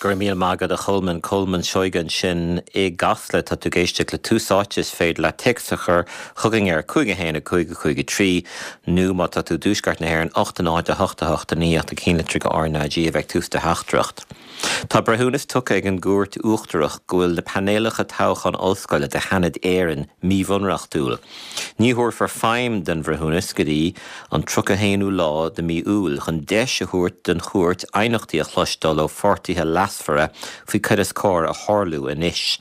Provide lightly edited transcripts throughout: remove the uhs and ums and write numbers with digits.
Go raibh míle maith agat a Cholmáin. Colmán Seoige ansin i gCasla. Tá tú ag éisteacht le Tús Áite. Is féidir leat téacs a chur chugainn ar 5 1 5 5 3 nó má tá tú i dTuaisceart na hÉireann 8 0 8 8 9 8 1 litreacha RnaG a bheidh tús do theachtaireacht. Tá breithiúnas tugtha ag an gCúirt Uachtarach go bhfuil na painéalacha toghcháin ollscoile do Sheanad Éireann míbhunreachtúil. Ní thabharfar feidhm don bhreithiúnas go dtí an 31ú lá de mhí Iúil chun deis a thabhairt don chúirt aighneachtaí a chloisteáil ó pháirtithe leasmhara faoi cad is cóir a tharlú anois.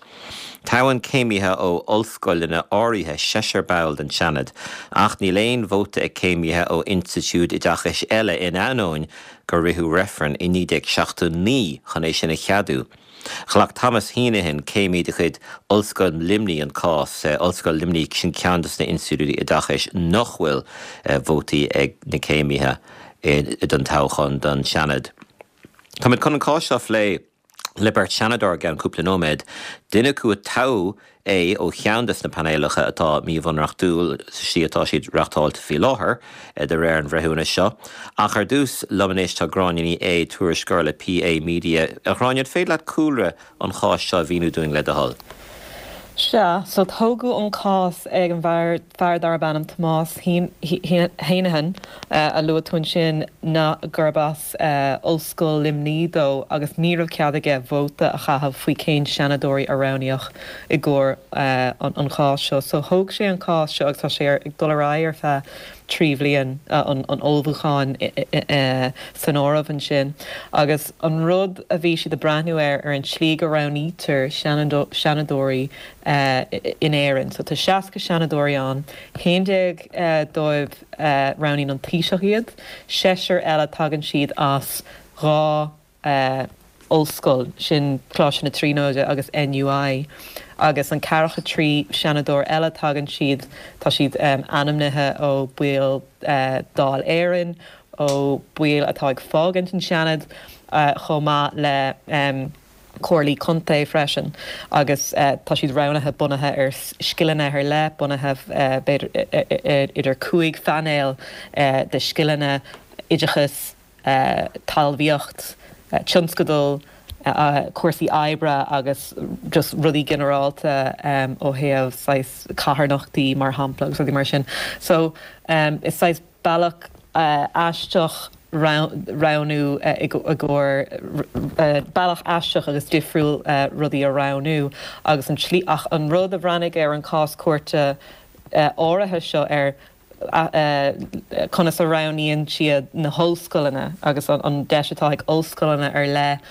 Toghann céimithe ó ollscoileanna áirithe seisear ball den Seanad ach níl aon vóta ag céimithe ó institiúid oideachais eile in ainneoin gur ritheadh reifreann i 1979 chun é sin a cheadú. Ghlac Thomas Heneghan, céimí de chuid Ollscoil Luimnigh an cás. Ollscoil Luimnigh, sin ceann de na institiúidí oideachais nach bhfuil vótaí ag na céimithe don toghchán don Seanad. Táimid chun an cás seo a phlé le beirt Seanadóir i gceann cúpla nóiméad. Duine acu a toghadh é ó cheann de na painéalacha atá míbhunreachtúil sa slí atá siad reachtáilte faoi láthair, de réir an bhreithiúnais seo. Ach ar dtús, liom anois tá Gráinne Ní Aodha, tuairisceoir le PA Media. A Ghráinne, an féidir leat cúlra an cháis seo a mhíniú dúinn, le do thoil? Sea, so tógadh an cás ag an bhfear, fear darb ainm Tomás Heneghan, a luaigh tú ansin, ná gurb as Ollscoil Luimnigh dó agus ní raibh cead aige vóta a chaitheamh faoi cén seanadóirí a roghnaíodh i gcomhair an cháis seo. So thóg sé an cás seo agus tá sé ag dul ar aghaidh ar feadh 3 bhliain, an ullmhúcháin san áireamh ansin. Agus an rud a bhí siad ag breathnú air, ar an tslí go roghnaítear seanadóirí in Éirinn. So tá 60 seanadóirí ann, 11 dóibh roghnaíonn an Taoiseach iad, seisear eile tagann siad as 2 ollscoil, sin Coláiste na Tríonóide agus NUI, agus an ceathracha 3 seanadóir eile tagann siad, tá siad ainmnithe ó baill Dáil Éireann, ó baill atá ag fágaint an Seanad, chomh maith le. comhairlí contae freisin agus tá siad roghnaithe bunaithe ar scileanna ar leith, bunaithe b'fhéidir idir 5 phainéal de scileanna, oideachas, talmhaíocht, tionscadal, cúrsaí oibre agus just rudaí ginearálta ó thaobh saghas carthanachtaí mar shampla agus rudaí mar sin. So is saghas. bealach aisteach roghnú i gcomhair bealach aisteach agus difriúil rudaí a roghnú agus an tslí ach an rud a bhreathnaigh ar an cás cúirte áirithe seo ar conas a roghnaíonn siad na hollscoileanna agus an deis atá ag ollscoileanna ar leith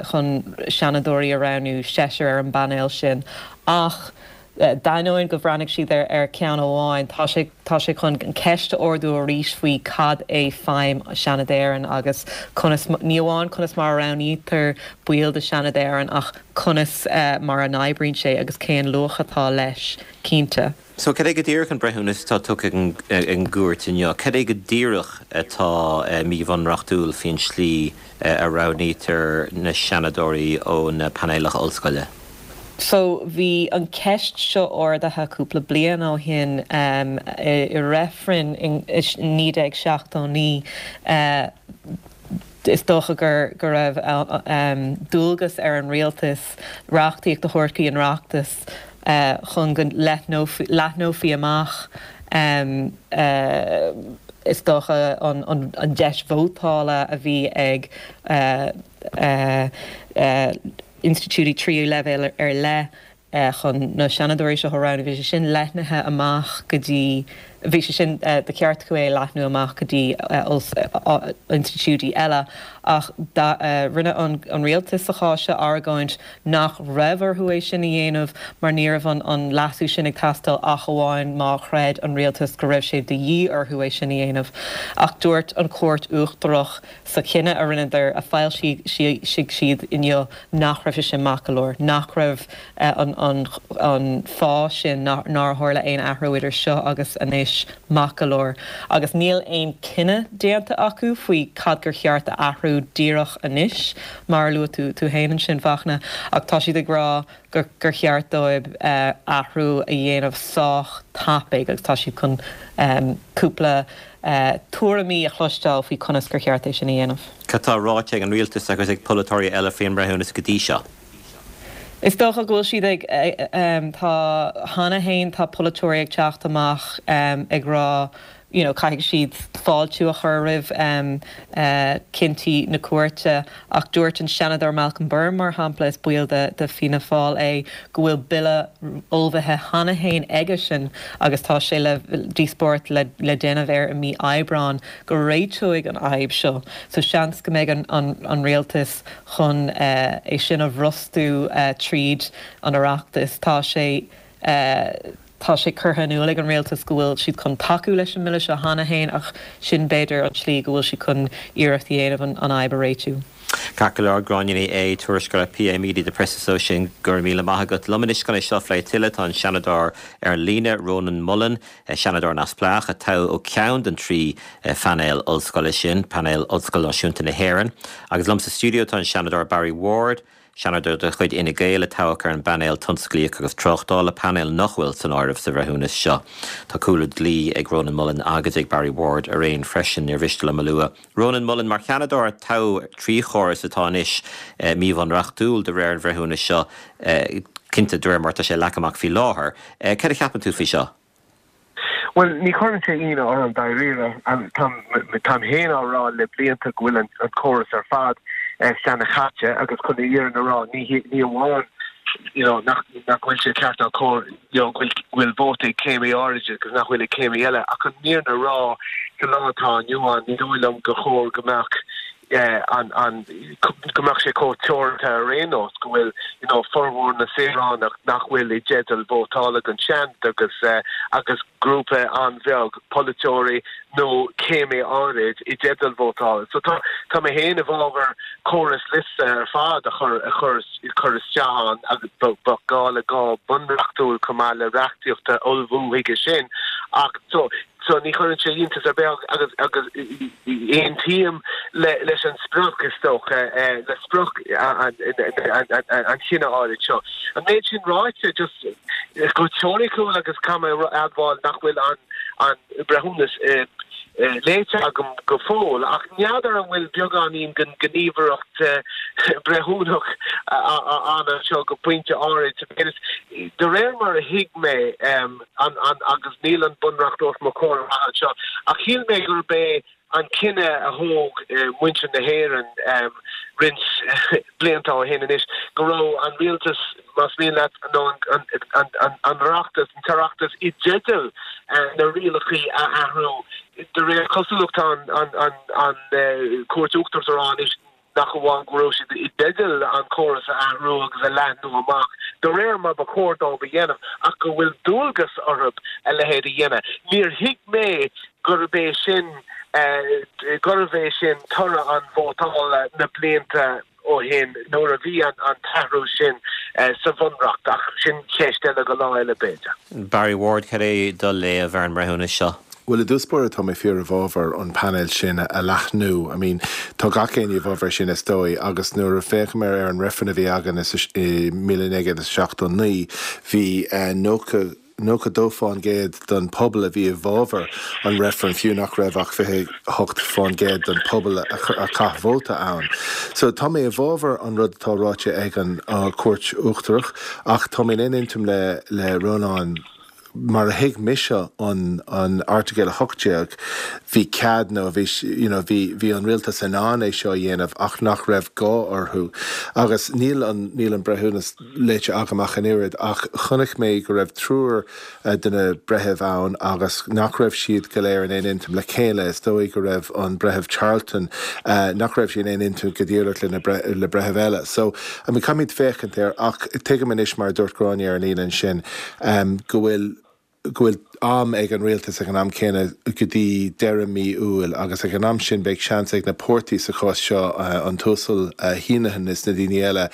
chun seanadóirí a roghnú, seisear ar an bpainéal sin ach D'ainneoin go bhreathnaigh siad ar cheann amháin, tá sé tá sé chun an ceist a ardú arís faoi cad é feidhm Seanad Éireann agus conas, ní amháin conas mar a roghnaítear baill de Sheanad Éireann ach conas mar a n-oibríonn sé agus cén luach atá leis, cinnte. So, cad é go díreach an breithiúnas atá tugtha ag an gcúirt inniu? Cad é go díreach atá míbhunreachtúil faoin slí a roghnaítear na seanadóirí ó na painéalacha ollscoile? So, bhí an ceist seo ardaithe cúpla bliain ó shin i reifreann in 1979. Is dócha gur go raibh dualgas ar an rialtas reachtaíocht a thabhairt chuig an Oireachtas chun go leathnófaí amach is dócha an deis vótála a bhí ag institiúidí tríú leibhéal ar leith chun na seanadóirí seo a roghnú. Bhí sé sin leathnaithe amach go dtí, bhí sé sin de cheart acu é a leathnú amach go dtí institiúidí eile ach rinne an rialtas sa chás seo argóint nach raibh orthu é sin a dhéanamh mar ní raibh an leasú sin ag teastáil ach amháin má chreid an rialtas go raibh sé de dhíth orthu é sin a dhéanamh. Ach dúirt an Chúirt Uachtarach Sa chinneadh a rinneadar, a foilsigh siad inniu, nach raibh sé sin maith go leor, nach raibh an fáth sin nár tharla aon athrú idir seo agus anois. anois maith go leor agus níl aon cinneadh déanta acu faoi cad gur cheart a athrú díreach anois, mar a luaigh tú tú féin ansin, Fachtna, ach tá siad ag rá gur gur cheart dóibh athrú a dhéanamh sách tapaidh agus tá siad chun cúpla tuairimí a chloisteáil faoi conas gur cheart é sin a dhéanamh. Cad tá ráite ag an rialtas agus ag polaiteoirí eile faoin mbreithiúnas go dtí seo? Is dócha go bhfuil siad ag, tá, cheana fhéin tá polaiteoirí ag teacht amach ag rá you know caithfidh siad fáiltiú a chur roimh cinntí na cúirte ach dúirt an Seanadóir Malcolm Byrne mar shampla, is baill de de Fianna Fáil é, go bhfuil bille ullmhaithe cheana fhéin aigesean agus tá sé le díospóireacht le le déanamh air i mí Aibreáin go réiteoidh an fhadhb seo so seans go mbeidh an an an rialtas chun é sin a bhrostú tríd an Oireachtas. Tá sé tá sé curtha in iúl ag an rialtas go bhfuil siad chun tacú leis an mbille seo cheana féin ach sin b'fhéidir an tslí go bhfuil siad chun iarracht a dhéanamh an fhadhb a réitiú. Ceart go leor, Gráinne Ní Aodha, tuairisceoir le PA Media, The Press Association, go raibh míle maith agat. Liom anois chun é seo a phlé tuilleadh tá an Seanadóir ar an líne, Rónán Mullen, Seanadóir neamhspleách a toghadh ó cheann den trí phainéal ollscoile sin, Painéal Ollscoil Náisiúnta na hÉireann. Agus liom sa stiúideo tá an Seanadóir Barry Ward, Seanadóir de chuid Fhine Gael a toghadh ar an bPainéal Tionsclaíoch agus Tráchtála, painéal nach bhfuil san áireamh sa bhreithiúnas seo. Tá cúlra dlí ag Rónán Mullen agus ag Barry Ward araon freisin, níor mhiste liom a lua. Rónán Mullen, mar Sheanadóir a toghadh trí chóras atá anois míbhunreachtúil de réir an bhreithiúnais seo, cinnte de réir mar atá sé leagtha amach faoi láthair, Cad a cheapann tú faoi seo? Bhuel, ní chuireann sé ionadh orm dáiríre. Táim féin á rá le blianta go bhfuil an córas ar fad seanchaite agus chun an fhírinne a rá, ní amháin you know nach bhfuil sé ceart ná cóir you know go bhfuil vóta ag céimí áirid agus nach bhfuil ag céimí eile ach an fhírinne a rá sa lá atá inniu ann ní dóigh liom gur chóir go mbeadh an, an, go mbeadh sé chomh teoranta ar aon nós, go bhfuil, you know, formhór na saoránach nach bhfuil i dteideal vótála don Seanad agus, agus grúpa an-bheag polaiteoirí nó céimí áirid i dteideal vótála. So tá, tá mé féin i bhfabhar córas liosta ar fad a chur, a chur, cur isteach ann agus bheadh gá le gá bunreachtúil chomh maith le reachtaíocht a ullmhú chuige sin ach so, So ní chuireann sé iontas ar bith agus agus aontaím leis an sprioc, is dócha, le sprioc an chinnidh áirid seo. An méid sin ráite, just go teoiriciúil agus caithfidh mé a admháil nach bhfuil an breithiúnas léite agam go fóill, ach n'fheadar an bhfuil beagáinín den ghníomhaireacht breithiúnach ann anseo go pointe áirid. De réir mar a thuig mé, an, an, agus níl an Bunreacht os mo chomhair amach anseo, ach shíl mé gurb é an cinneadh a thóg muintir na hÉireann roinnt blianta ó shin anois, go raibh an rialtas, más mian leat, nó an, an, an, an Oireachtas, an tOireachtas i dteideal na rialacha a athrú. De réir cosúlacht tá an, an, an, an Chúirt Uachtarach ag rá anois, nach amháin go raibh siad i dteideal an córas a athrú agus a leathnú amach de réir mar ba chóir dóibh a dhéanamh, ach go bhfuil dualgas orthu a leithéid a dhéanamh. Níor thuig mé gurb é sin gurbh é sin toradh an vótála na blianta ó shin nuair a bhí an t-athrú sin sa Bhunreacht, ach sin ceist eile go lá eile b'fhéidir. Barry Ward, cad é do léamh ar an mbreithiúnas seo? Bhuel, i dtús báire tá mé fíor i bhfabhar an painéal sin a leathnú. I mean, tá gach éinne i bhfabhar sin is dóigh agus nuair a féachaim ar an reifreann a bhí againn i 1979 bhí 90, 92% den pobal a bhí i bhfabhar an reifrinn fiú nach raibh ach 28% den pobal a chaith vóta ann. So tá mé i bhfabhar an rud atá ráite ag an Chúirt Uachtarach ach tá mé in aon intinn le le Rónán Mar a thuig mise an an Airteagal 18, bhí cead nó bhí you know bhí bhí an rialtas in ann é seo a dhéanamh ach nach raibh gá orthu. Agus níl an níl an breithiúnas léite agam ach an oiread ach chonaic mé go raibh triúr de na breithimh ann agus nach raibh siad go léir in aon intinn le chéile. Is dóigh go raibh an Breitheamh Charleton nach raibh sé in aon intinn go díreach le na le breithimh eile. So I mean caithfimid féachaint air ach tuigim anois mar a dúirt Gráinne ar an líne ansin, go bhfuil go bhfuil am ag an rialtas ag an am céanna go dtí deireadh mí Iúil agus ag an am sin beidh seans ag na páirtí sa chás seo, an tUasal Heneghan is na daoine eile,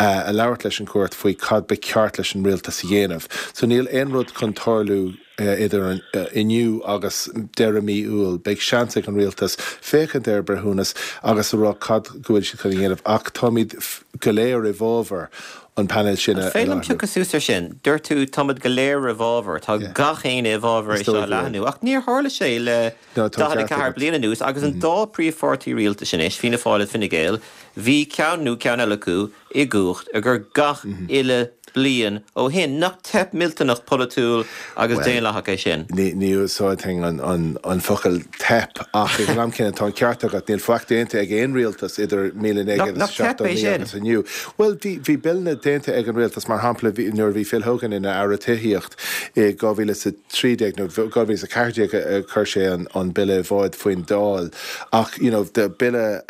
a labhairt leis an gcúirt faoi cad ba cheart leis an rialtas a dhéanamh. So níl aon rud chun tarlú. Idir inniu agus deireadh mí Iúil, beidh seans ag an rialtas féachaint ar an breithiúnas agus a rá cad go bhfuil siad chun a dhéanamh. Ach táimid go léir i bhfabhar an painéal sin a An féidir liom leathnú. piocadh suas ar sin? Dúirt tú táimid go léir i bhfabhar, tá gach éinne i bhfabhar Is é seo dóigh a go bhfuil. leathnú. Ach níor tharla sé le No, tá an ceart 44 agat. bliain anuas agus an dá príomhpháirtí rialtais anois, Fianna Fáil agus Fine Gael, bhí ceann nó ceann eile acu i gcumhacht ag gach uile bliain ó shin. Nach teip millteanach polaitiúil agus daonlathach é sin? Ní úsáidfinn an focal teip ach ag an am céanna tá an ceart agat, níl faic déanta ag aon rialtas idir Nach teip é 1979 sin? agus inniu. Bhuel, bhí billeanna déanta ag an rialtas, mar shampla nuair a bhí Phil Hogan ina Aire Tithíocht i 2013 nó 2014 a chuir sé an bille i bhfáid faoin Dáil ach you know bille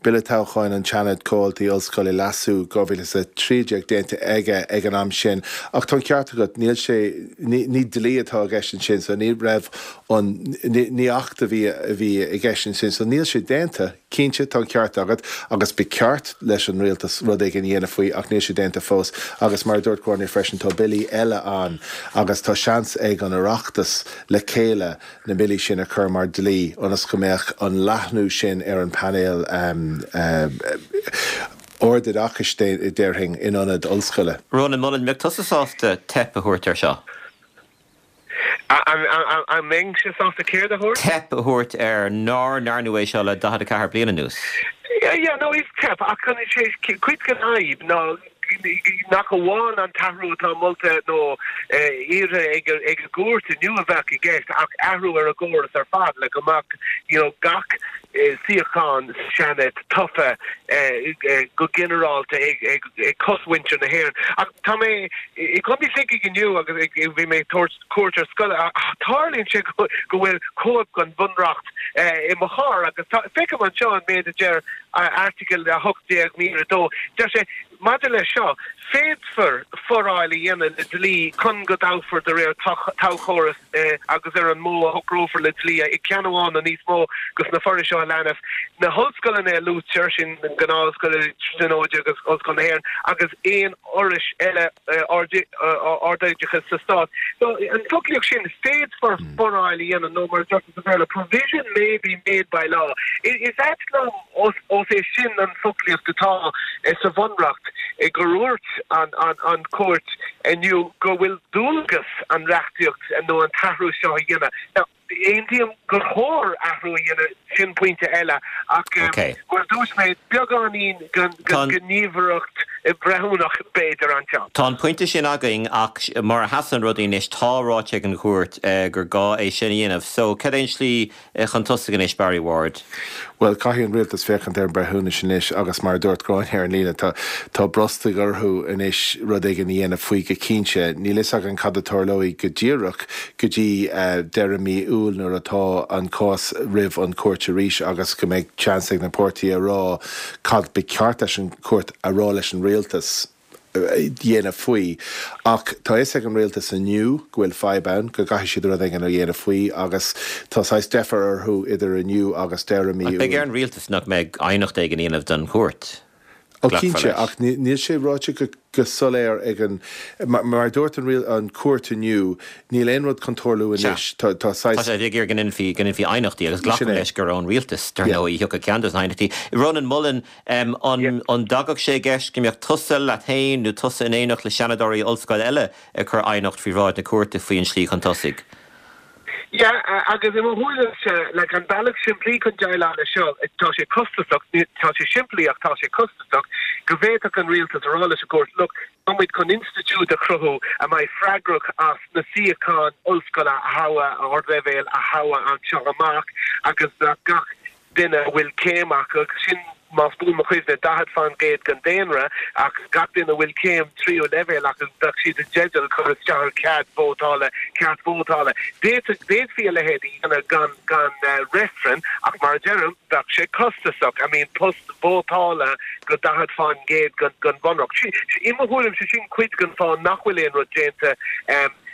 Bille Toghcháin an tSeanaid, Comhaltaí Ollscoile, Leasú, 2013 déanta aige ag an am sin ach tá an ceart agat, níl sé, ní, ní dlí atá i gceist ansin so ní raibh an, ní, ní acht a bhí, a bhí i gceist ansin so níl sé déanta, cinnte tá an ceart agat agus ba cheart leis an rialtas rud éigin a dhéanamh faoi ach níl sé déanta fós agus mar a dúirt Gráinne freisin tá billí eile ann agus tá seans ag an Oireachtas le chéile na billí sin a chur mar dlí ionas go mbeadh an leathnú sin ar an bpainéal ardoideachais, déarfainn, in ionad ollscoile. Rónán Mullen, mbeadh tusa sásta teip a thabhairt air seo? An mbeinnse sásta céard a thabhairt? Teip a thabhairt air nár ndearnadh é seo le 44 bliain anuas. Yeah, no, is teip, ach cuid den fhadhb ná nach amháin an t-athrú atá molta nó iarrtha ag an gcúirt inniu a bheadh i gceist ach athrú ar an gcóras ar fad le go mbeadh you know gach suíochán sa Seanad tofa go ginearálta ag cosmhuintir na hÉireann. Ach tá mé i gContae Shligigh inniu agus bhí mé ag tabhairt cuairt ar scoil. Tarlaíonn sé go bhfuil cóip den Bhunreacht i mo charr agus feicim anseo an méid a deir Airteagal 18 mír 2. Deir sé, Maidir leis seo, féadfar foráil a dhéanamh le dlí chun go dtoghfar de réir toghchóras agus ar an modh a shocrófar le dlí i gceann amháin nó níos mó de na forais seo a leanas, na hollscoileanna a luaitear, sin na gnáth-ollscoileanna, Tríonóide agus Ollscoil na hÉireann, agus aon fhorais eile ardoideachais sa Stát. So, an foclaíocht sin, féadfar foráil a dhéanamh, nó mar a deirtear sa Bhéarla, provision may be made by law. Is ait liom, ós é sin an foclaíocht atá sa Bhunreacht, gur dhúirt an Chúirt inniu go bhfuil dualgas an reachtaíocht nó an t-athrú seo a dhéanamh. Now, Aontaím gur chóir athrú a dhéanamh, sin pointe eile, ach mar a dúirt mé, beagáinín den ghníomhaireacht bhreithiúnach b'fhéidir anseo. Tá an pointe sin againn ach mar a sheasann rudaí anois, tá ráite ag an chúirt gur gá é sin a dhéanamh. So, cad é an slí chun tosaigh anois, Barry Ward? Bhuel, caithfidh an rialtas féachaint ar an breithiúnas anois agus mar a dúirt Gráinne ar an líne, tá tá brostaigh orthu anois rud éigin a dhéanamh faoi go cinnte. Níl fhios againn cad a tarlóidh go díreach go dtí deireadh mí Iúil nuair atá an cás roimh an chúirt arís agus go mbeidh seans ag na páirtithe a rá cad ba cheart leis an chúirt a rá leis an rialtas. dhéanamh faoi. Ach tá fhios ag an rialtas inniu go bhfuil fadhb ann, go gcaithfidh siad rud éigin a dhéanamh faoi agus tá saghas deifir orthu idir inniu agus deireadh mí Ach beidh Iúil. ar an rialtas nach mbeidh aighneacht éigin a dhéanamh don chúirt. Ó Glacfar cinnte, leis. ach níl sé ráite go soiléir ag an, mar a dúirt an chúirt inniu, níl aon rud chun tarlú Sea. anois. Tá Tá saghas. sé ag iarraidh go ndéanfaí, go ndéanfaí aighneachtaí agus Sin glacaim é. leis gur ón rialtas, dar Yeah. ndóigh, a thiocfadh ceann de na haighneachtaí. Rónán Mullen, An dtagadh sé i gceist go mbeadh tusa leat féin nó tusa in éineacht le seanadóirí ollscoile eile ag cur aighneacht faoi bhráid na cúirte faoi an slí chun tosaigh? Yeah, agus i mo thuairimse, like, an bealach simplí chun déileáil leis seo, tá sé costasach, tá sé simplí ach tá sé costasach, go bhféadfadh an rialtas a rá leis an gcúirt, look, tá muid chun institiúid a chruthú a mbeidh freagrach as na suíocháin ollscoile a thoghadh, ardleibhéil a thoghadh anseo amach agus bheadh gach duine a bhfuil céim acu, sin, más buan mo chuimhne, 40% den daonra, ach gach duine a bhfuil céim tríú leibhéal acu, bheadh siad i dteideal cur isteach ar chead vótála, ceart vótála. D'fhéadfaí a leithéid a dhéanamh gan, gan reifreann, ach mar a deirim, bheadh sé costasach. I mean, post vótála go 40% den bhunreacht. I mo thuairimse, sin cuid den fáth nach bhfuil aon rud déanta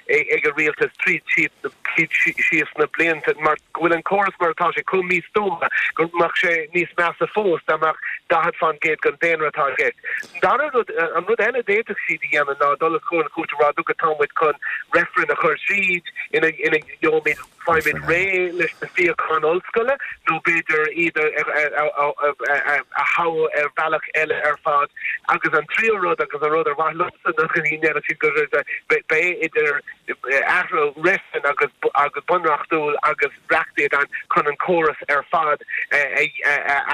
ag an rialtas tríd, tríd. siad síos sna blianta mar go bhfuil an córas mar atá sé chomh místuama go mbeadh sé níos measa fós dá mbeadh 40% den daonra atá i gceist. An dara rud, an rud eile a d'fhéadfadh siad a dhéanamh ná dul os comhair na cúirte a rá look tá muid chun reifreann a chur tríd ina ina gheobhaimid faighimid réidh leis na suíocháin ollscoile nó b'fhéidir iad a thoghadh ar bhealach eile ar fad. Agus an tríú rud agus an rud ar mhaith liomsa nach ndéanfadh siad go beidh idir athrú reifreann agus agus bunreachtúil agus reachtaíocht ann chun an córas ar fad a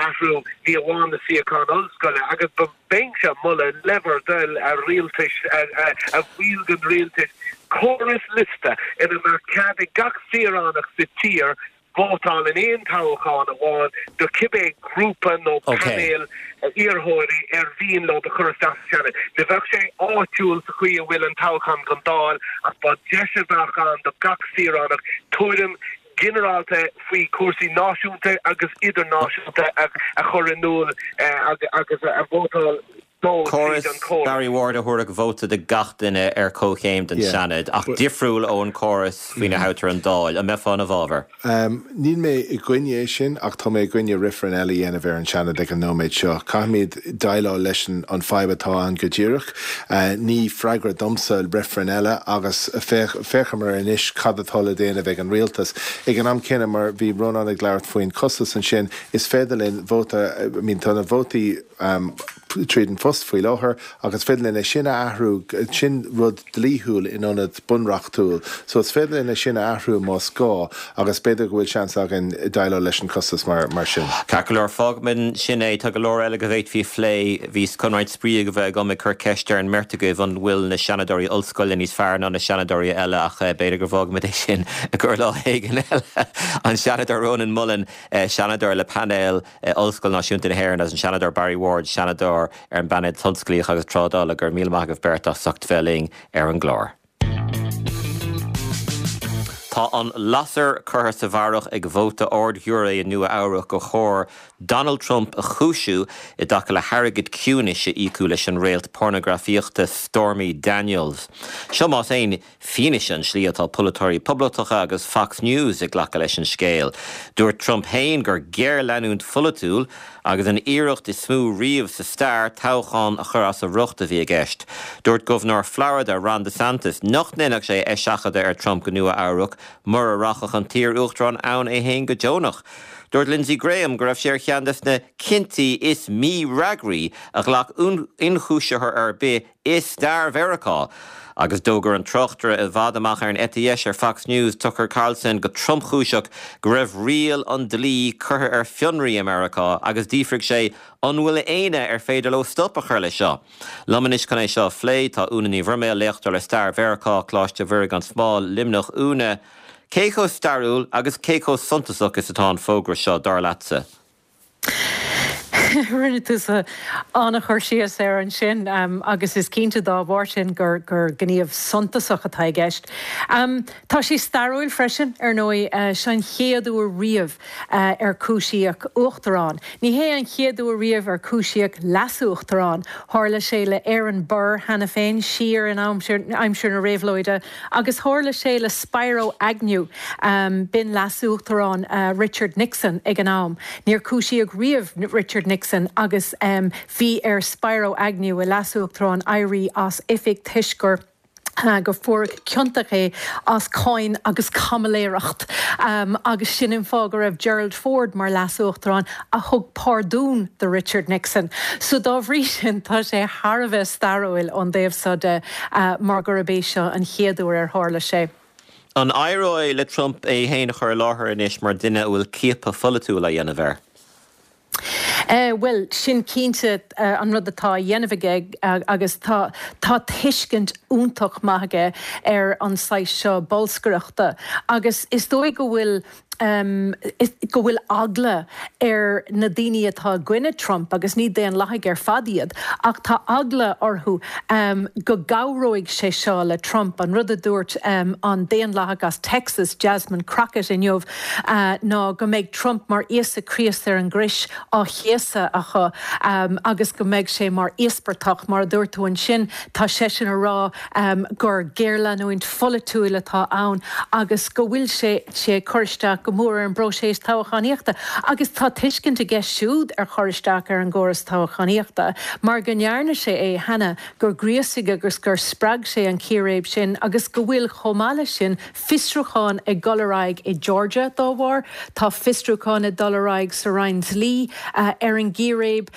athrú, ní amháin na suíocháin ollscoile agus ba Bheinnse ag moladh le bhur dtoil, a rialtais, a bhaill den rialtas, córas liosta ina mbeadh cead ag gach saoránach sa tír vótáil in aon toghchán amháin do cibé grúpa nó painéal iarrthóirí ar mhian leo a chur isteach sa Seanad. Ní bheadh sé áitiúil sa chaoi a bhfuil an toghchán don Dáil ach ba deis a bheadh ann do gach saoránach tuairim ginearálta faoi chúrsaí náisiúnta agus idirnáisiúnta a chur in iúl agus a vótáil dó tríd Córas an chóras. Barry Ward a thabharfadh vóta do gach duine ar comhchéim don Seanad, ach difriúil ón córas faoina thoghtar an Dáil. An mbeifeá ina bhfabhar? Níl mé i gcoinne é sin ach tá mé i gcoinne reifreann eile a dhéanamh ar an Seanad ag an nóiméad seo. Caithfimid déileáil leis an fadhb atá ann go díreach. Ní freagra domsa reifreann eile agus féachamar anois cad atá le déanamh ag an rialtas. Ag an am céanna, mar bhí Rónán ag labhairt faoin costas ansin, is féidir linn vóta, I mean tá na vótaí tríd an phost faoi láthair agus is féidir linn é sin a athrú, sin rud dlíthiúil in ionad bunreachtúil. So is féidir linn é sin a athrú más gá agus b'fhéidir go bhfuil seans againn déileáil leis an costas mar sin. Ceart go leor, fágfaimid ansin é. Tá go leor eile go bhféadfaí a phlé. Bhíos chun roinnt spraoi a bheith agam ag cur ceiste ar an mbeirt agaibh an bhfuil na Seanadóirí ollscoile níos fearr ná na Seanadóirí eile ach b'fhéidir go bhfágfaimid é sin i gcomhair lá éigin eile. An Seanadóir Rónán Mullen, Seanadóir le painéal Ollscoil Náisiúnta na hÉireann agus an Seanadóir Barry Ward, Seanadóir ar an bPainéal Tionsclaíoch agus Trádála, go raibh míle maith agaibh beirt as ucht bheith linn ar an gclár. Tá an lasair curtha sa bharrach ag vóta ard-ghiúiré i Nua Eabhrac gur chóir Donald Trump a chúisiú i dtaca le hairgead ciúnais a íocadh leis an réalt pornagrafaíochta Stormy Daniels. Seo más aon fianaise an tslí atá polaiteoirí poblachtacha agus Fox News ag glacadh leis an scéal. Dúirt Trump féin gur géarleanúint pholaitiúil agus an iarracht is mó riamh sa stair toghchán a chur as a riocht a bhí i gceist. Dúirt Gobharnóir Florida, Ron DeSantis, nach ndéanfadh sé eiseachadadh ar Trump go Nua Eabhrac mura rachadh an t-iar-uachtarán ann é féin go deonach. Dúirt Lindsey Graham go raibh sé ar cheann des na cinntí is mífhreagraí a ghlac ionchúisitheoir ar bith i stair Mheiriceá. Agus d'fhógair an tráchtaire i bhfad amach ar an eite dheis ar Fox News, Tucker Carlson, go tromchúiseach go raibh riail an dlí curtha ar fionraí i Meiriceá agus d'fhiafraigh sé an bhfuil éinne ar féidir leo stop a chur leis seo. Liom anois chun é seo a phlé tá Úna Ní Bhroiméil, léachtóir le Stair Mheiriceá, Coláiste Mhuire gan Smál, Luimneach. Úna, cé chomh stairiúil agus cé chomh suntasach is atá an fógra seo, dar leatsa? Rinne tusa an-chur síos air ansin agus is cinnte dá bharr sin gur gníomh suntasach atá i gceist. Tá sé stairiúil freisin, ar ndóigh. Seo an chéad uair riamh ar cúisíodh uachtarán. Ní hé an chéad uair riamh ar cúisíodh leasuachtarán. Tharla sé le Aaron Burr cheana féin, siar in aimsir na réabhlóide, Agus tharla sé le Spiro Agnew, b'in leasuachtarán Richard Nixon ag an am. Níor cúisíodh riamh Richard Nixon agus bhí ar Spiro Agnew, a leasuachtarán, éirí as oifig toisc gur gur fuaireadh ciontach é as cáin agus caimiléireacht. Agus sin an fáth go raibh Gerald Ford mar leasuachtarán a thug pardún do Richard Nixon. So dá bhrí sin tá sé thar a bheith stairiúil ón dtaobh seo de. mar gurb é seo an chéad uair ar tharla sé. An éireoidh le Trump é féin a chur i láthair anois mar dhuine a bhfuil ciapadh pholaitiúil á dhéanamh air? Bhuel, sin cinnte an rud atá á dhéanamh aige agus tá tá tuiscint iontach maith aige ar an saghas seo bolscaireachta agus is dóigh go bhfuil. Go bhfuil eagla ar na daoine atá i gcoinne Trump, agus ní daonlathaigh ar fad iad, ach tá eagla orthu go gcabhróidh sé seo le Trump. An rud a dúirt an daonlathach as Texas, Jasmine Crockett inniu ná go mbeidh Trump mar Íosa Críost ar an gcrois á chéasadh acu agus go mbeidh sé mar íospartach. Mar a dúirt tú ansin, tá seisean a rá gur géarleanúint pholaitiúil atá ann agus go bhfuil sé sé ag cur isteach go mór ar an bpróiseas toghchánaíochta. Agus tá tuiscint aige siúd ar chur isteach ar an gcóras toghchánaíochta mar go ndearna sé é cheana, gur ghríosaigh agus gur spreag sé an chíréib sin agus go bhfuil, chomh maith leis sin, fiosrúchán ag dul ar aghaidh i Georgia dá bharr. Tá fiosrúchán ag dul ar aghaidh sa Roinn Dlí ar an gcíréib.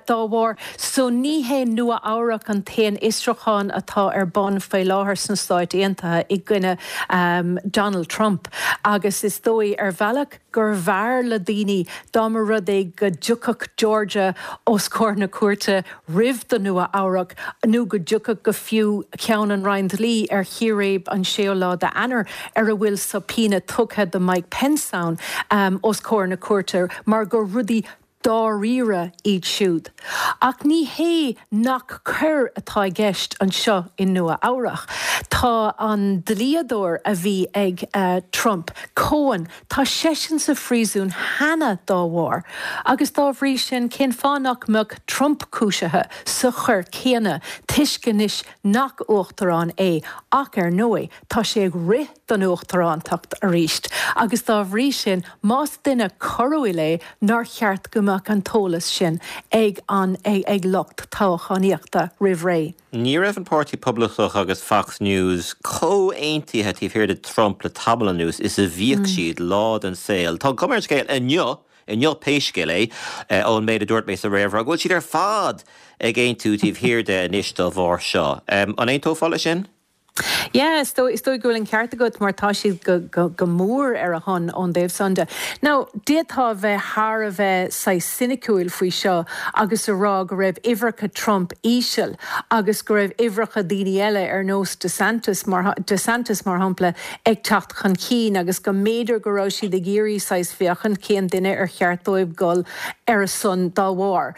dá bharr. So ní hé Nua Eabhrac an t-aon fhiosrúchán atá ar bun faoi láthair sna Stáit Aontaithe i gcoinne Donald Trump agus is dóigh ar bhealach gurbh fhearr le daoine dá mba rud é go dtiocfadh Georgia os comhair na cúirte roimh do Nua Eabhrac nó go dtiocfadh go fiú ceann an Roinn Dlí ar chíréib an séú lá d'Eanáir ar a bhfuil subpoena tugtha do Mike Pence ann os comhair na cúirte mar gur rudaí dáiríre iad siúd. Ach ní hé nach coir atá i gceist anseo i Nua Eabhrach. Tá an dlíodóir a bhí ag Trump, Cohen, tá seisean sa phríosún cheana dá bharr. Agus dá bhrí sin, cén fáth nach mbeadh Trump cúisithe sa choir céanna toisc anois nach uachtarán é ach ar ndóigh tá sé ag rith don uachtarántacht arís agus dá bhrí sin más duine coiriúil é nár cheart go mbeadh an t-eolas sin ag an ag lucht toghchánaíochta roimh ré. Ní raibh an Páirtí Poblachtach agus Fox News chomh aontaithe taobh thiar de Trump le tamall anuas is a bhíodh siad lá den saol. Tá an chuma ar an scéal inniu, inniu pé scéal é, ón méid a dúirt mé sa réamhrá, go bhfuil siad ar fad ag aontú taobh thiar de anois dá bharr seo. An aontófá leis sin? Yeah, is dóigh, is dóigh go bhfuil an ceart agat mar tá siad go, go, go mór ar a shon ón dtaobh san de. Now, d'fhéadfá a bheith thar a bheith saghas soiniciúil faoi seo agus a rá go raibh uimhreacha Trump íseal agus go raibh uimhreacha daoine eile ar nós DeSantis mar, DeSantis mar shampla ag teacht chun cinn agus go mb'fhéidir go raibh siad ag iarraidh saghas féachaint cén duine ar cheart dóibh dul ar a son dá bharr,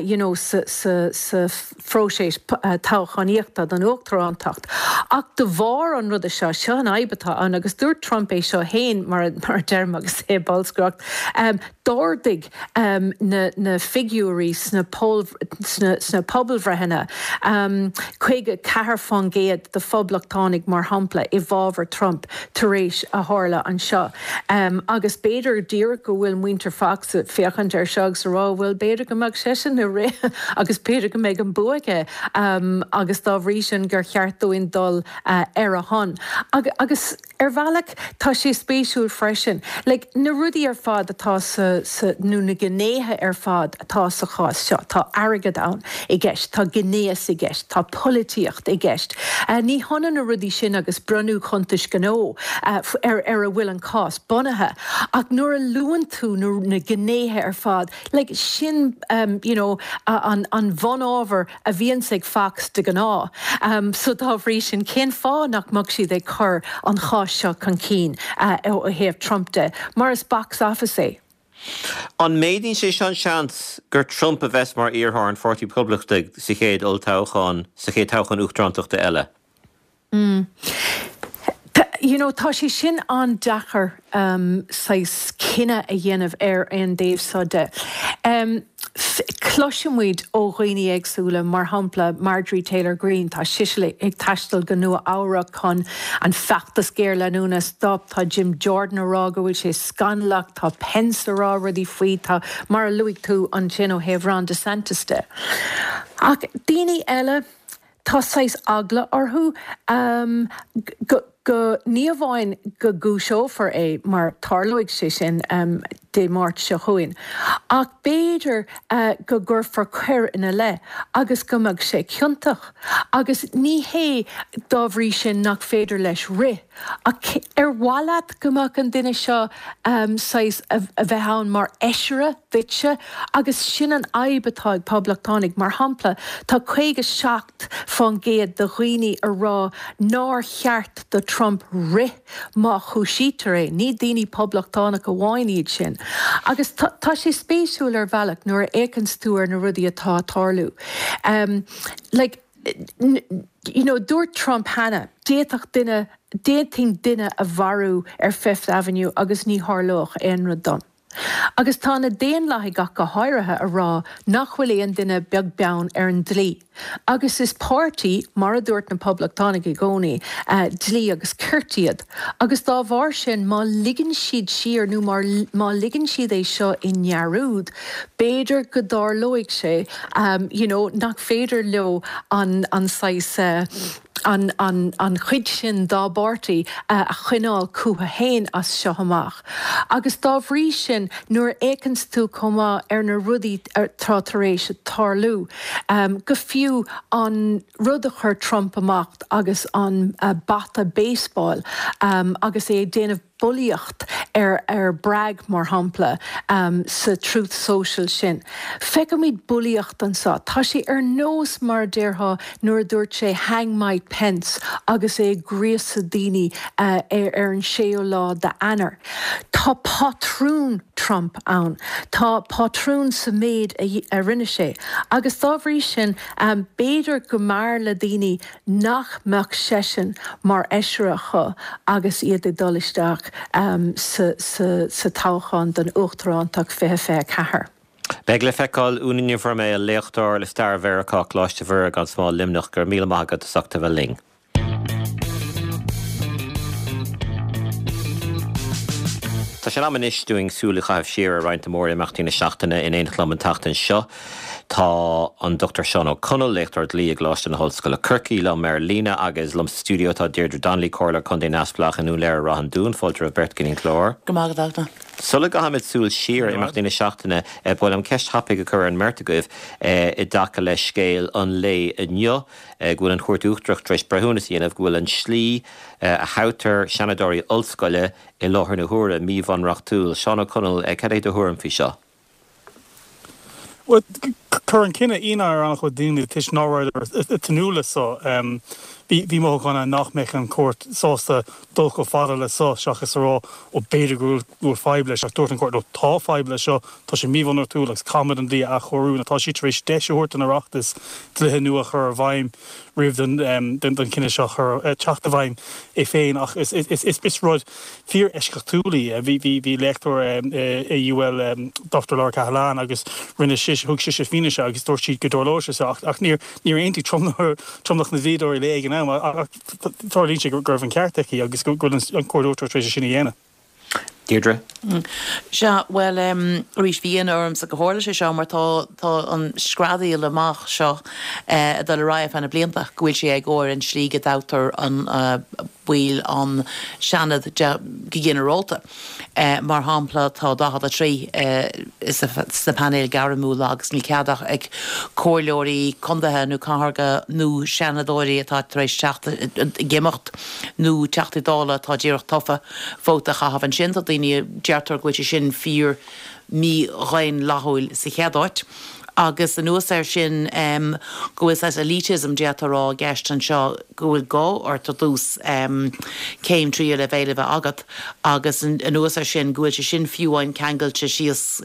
you know, sa, sa, sa. phróiseas toghchánaíochta don uachtarántacht. Ach de bharr an ruda seo, seo an fhadhb atá ann, agus dúirt Trump é seo féin, mar a deirim agus é ag bolscaireacht, d'ardaigh na figiúirí sna pobalbhreitheanna, 54% de phoblachtánaigh, mar shampla, i bhfabhar Trump tar éis a tharla anseo. Agus b'fhéidir díreach go bhfuil muintir Fox ag féachaint air seo agus a rá, bhuel, b'fhéidir go mbeadh seisean ag rith agus b'fhéidir go mbeidh an bua aige agus dá bhrí sin gur cheart dúinn dul ar a shon. Agus ar bhealach tá sé spéisiúil freisin, like, na rudaí ar fad atá sa, sa, nó na gnéithe ar fad atá sa chás seo, tá airgead ann i gceist, tá gnéas i gceist, tá polaitíocht i gceist. Ní hionann na rudaí sin agus brionnú cuntais gnó ar ar a bhfuil an cás bunaithe. Ach nuair a luann tú na gnéithe ar fad, like, sin you know an an bhunábhar a bhíonns ag Fox de ghnáth. So dá bhrí sin, cén fáth nach mbeadh siad ag cur an cháis seo chun cinn ó thaobh Trump de? Mar is box office é. An méadaíonn sé seo an seans gur Trump a bheas mar iarrthóir an Pháirtí Poblachtaigh sa chéad olltoghchán, sa chéad toghchán uachtarántachta eile? Mm. You know, tá sé sin an-deacair saghas cinneadh a dhéanamh ar an dtaobh seo de. Cloisimid ó dhaoine éagsúla, mar shampla Marjorie Taylor Greene, tá sise ag taisteal go Nua Eabhrac chun an feachtas géarleanúna a stop, tá Jim Jordan a rá go bhfuil sé scannalach, tá Pence a rá rudaí faoi, tá, mar a luaigh tú ansin ó thaobh Ron DeSantis de. Ach daoine eile, tá saghas eagla orthu go, go, ní amháin go gcúiseofar é, mar tarlóidh sé sin Dé Máirt seo chugainn, ach b'fhéidir go gcuirfear coir ina leith agus go mbeadh sé ciontach. Agus ní hé dá bhrí sin nach féidir leis rith. Ach ar mhaith leat go mbeadh an duine seo saghas a bheith ann mar fheisire duitse? Agus sin an fhadhb atá ag poblachtánaigh. Mar shampla, tá 57% de dhaoine a rá nár cheart do Trump rith má chúisítear é. Ní daoine poblachtánach amháin iad sin. Agus tá sé spéisiúil ar bhealach nuair a fhéachanns tú ar na rudaí atá ag tarlú. Like, you know, dúirt Trump cheana, d'fhéadfadh duine, d'fhéadfainn duine a mharú ar Fifth Avenue agus ní tharlódh aon rud dom. Agus tá na Daonlathaigh ach go háirithe a rá nach bhfuil aon duine beag beann ar an dlí. Agus is páirtí, mar a dúirt na Poblachtánaigh i gcónaí, dlí agus cirt iad. Agus dá bharr sin, má ligeann siad siar nó má ligeann siad é seo i ndearúd, b'fhéidir go dtarlóidh sé you know nach féidir leo an an saghas an an an chuid sin dá bpáirtí a choinneáil chucu féin as seo amach. Agus dá bhrí sin nuair a fhéachanns tú chomh maith ar na rudaí atá tar éis tarlú, go fiú an rud a chuir Trump amach agus an bata baseball agus é ag déanamh bulaíocht ar ar Bragg, mar shampla, sa Truth Social sin. Feicimid bulaíocht anseo. Tá sé ar nós mar a déarfá nuair a dúirt sé 'Hang Mike Pence' agus é ag gríosadh daoine ar an séú lá d'Eanáir. Tá pátrún Trump ann. Tá pátrún sa méid a rinne sé. Agus dá bhrí sin, b'fhéidir go mb'fhearr le daoine nach mbeadh seisean mar fheisire acu agus iad ag dul isteach sa toghchán don uachtarántacht 2024. Beidh le feiceáil. Úna Ní Bhroiméil, léachtóir le Stair Mheiriceá, Coláiste Mhuire gan Smál, Luimneach, go raibh míle maith agat as ucht a bheith linn. Tá sé in am anois dúinn súil a chaitheamh siar ar roinnt de mhór-imeachtaí na seachtaine. In éineacht liom an tseachtain seo tá an Dr Seán Ó Conaill, léachtóir dlí i gColáiste na hOllscoile Corcaigh, liom ar líne agus liom sa stiúideo tá Deirdre Donnelly, Comhairleoir Contae Neamhspleách i nDún Laoghaire Ráth an Dúin. Fáilte romhaibh beirt go dtí an clár. Go raibh maith agat, Fachtna. Sula gcaithfimid súil siar ar imeachtaí na seachtaine, ba mhaith liom ceist thapaidh a chur ar an mbeirt agaibh i dtaca le scéal an lae inniu, go bhfuil an Chúirt Uachtarach tar éis breithiúnas a dhéanamh go bhfuil an tslí a thoghtar seanadóirí ollscoile i láthair na huaire, míbhunreachtúil. Seán Ó Conaill, cad é do thuairim faoi seo? Bhuel, chuir an cinneadh ionadh ar an-chuid daoine toisc ná rabhadar ag tnúth le so. Bhí mothúchán ann nach mbeadh an chúirt sásta dul chomh fada le so seachas a rá ó b'fhéidir go bhfuil fadhb leis ach dúirt an chúirt no tá fadhb leis seo, tá sé míbhunreachtúil agus caithfimid an dlí a athchóiriú. Nó tá siad tar éis deis a thabhairt don Oireachtas dlíthe nua a chur i bhfeidhm roimh don chinneadh seo teacht i bhfeidhm é féin ach is rud fíor-eisceachtúil í. Bhí léachtóir i UL, Dr Laura Cahillane, agus rinne sise, thug sise fianaise agus dúirt sí go dtarlódh sé seo ach níor aontaigh tromlach na dlíodóirí léi ag an am ach tarlaíonn sé go raibh an ceart aici agus go bhfuil an Chúirt Uachtarach tar éis é sin a dhéanamh. Deirdre? Sea, bhuel, arís, bhí ionadh ormsa go tharla sé seo mar tá, tá an screadaíl amach seo ag dul ar aghaidh ar feadh na blianta, go bhfuil sé éagóir an slí go dtoghtar an baill an Seanad de go ginearálta. Mar shampla, tá 43 sna painéil gairmiúla agus níl cead ach ag comhairleoirí contaetha nó cathartha nó seanadóirí atá tar éis teacht ag imeacht nó Teachtaí Dála atá díreach tofa vóta a chaitheamh ansin. Tá daoine, deirtear go bhfuil sé sin fíor mí-dhaonlathúil sa chéad áit. Agus anuas air sin go bhfuil saghas elitism, d'fhéadfá a rá, i gceist anseo, go bhfuil gá ort ar dtús céim tríú leibhéal a bheith agat agus anuas air sin go bhfuil sé sin fiú amháin ceangailte síos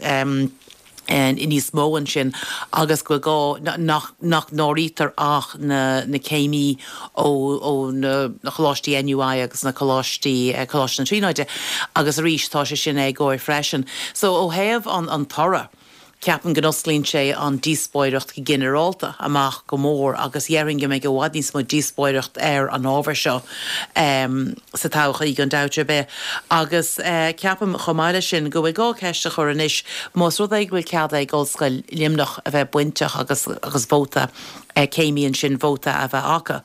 níos mó ansin agus go bhfuil gá nach nach n-áirítear ach na na céimí ó ó na coláistí NUI agus na coláistí Coláiste na Tríonóide agus arís tá sé sin éagóir freisin. So ó thaobh an an toradh ceapaim go n-osclaíonn sé an díospóireacht go ginearálta amach go mór agus dhéarfainn go mbeidh i bhfad níos mó díospóireacht ar an ábhar seo sa todhchaí gan dabht ar bith. Agus ceapaim chomh maith leis sin go bhfuil gá ceist a chur anois más rud é go bhfuil cead ag Ollscoil Luimneach a bheith bainteach agus agus vóta céimí ansin vóta a bheith acu.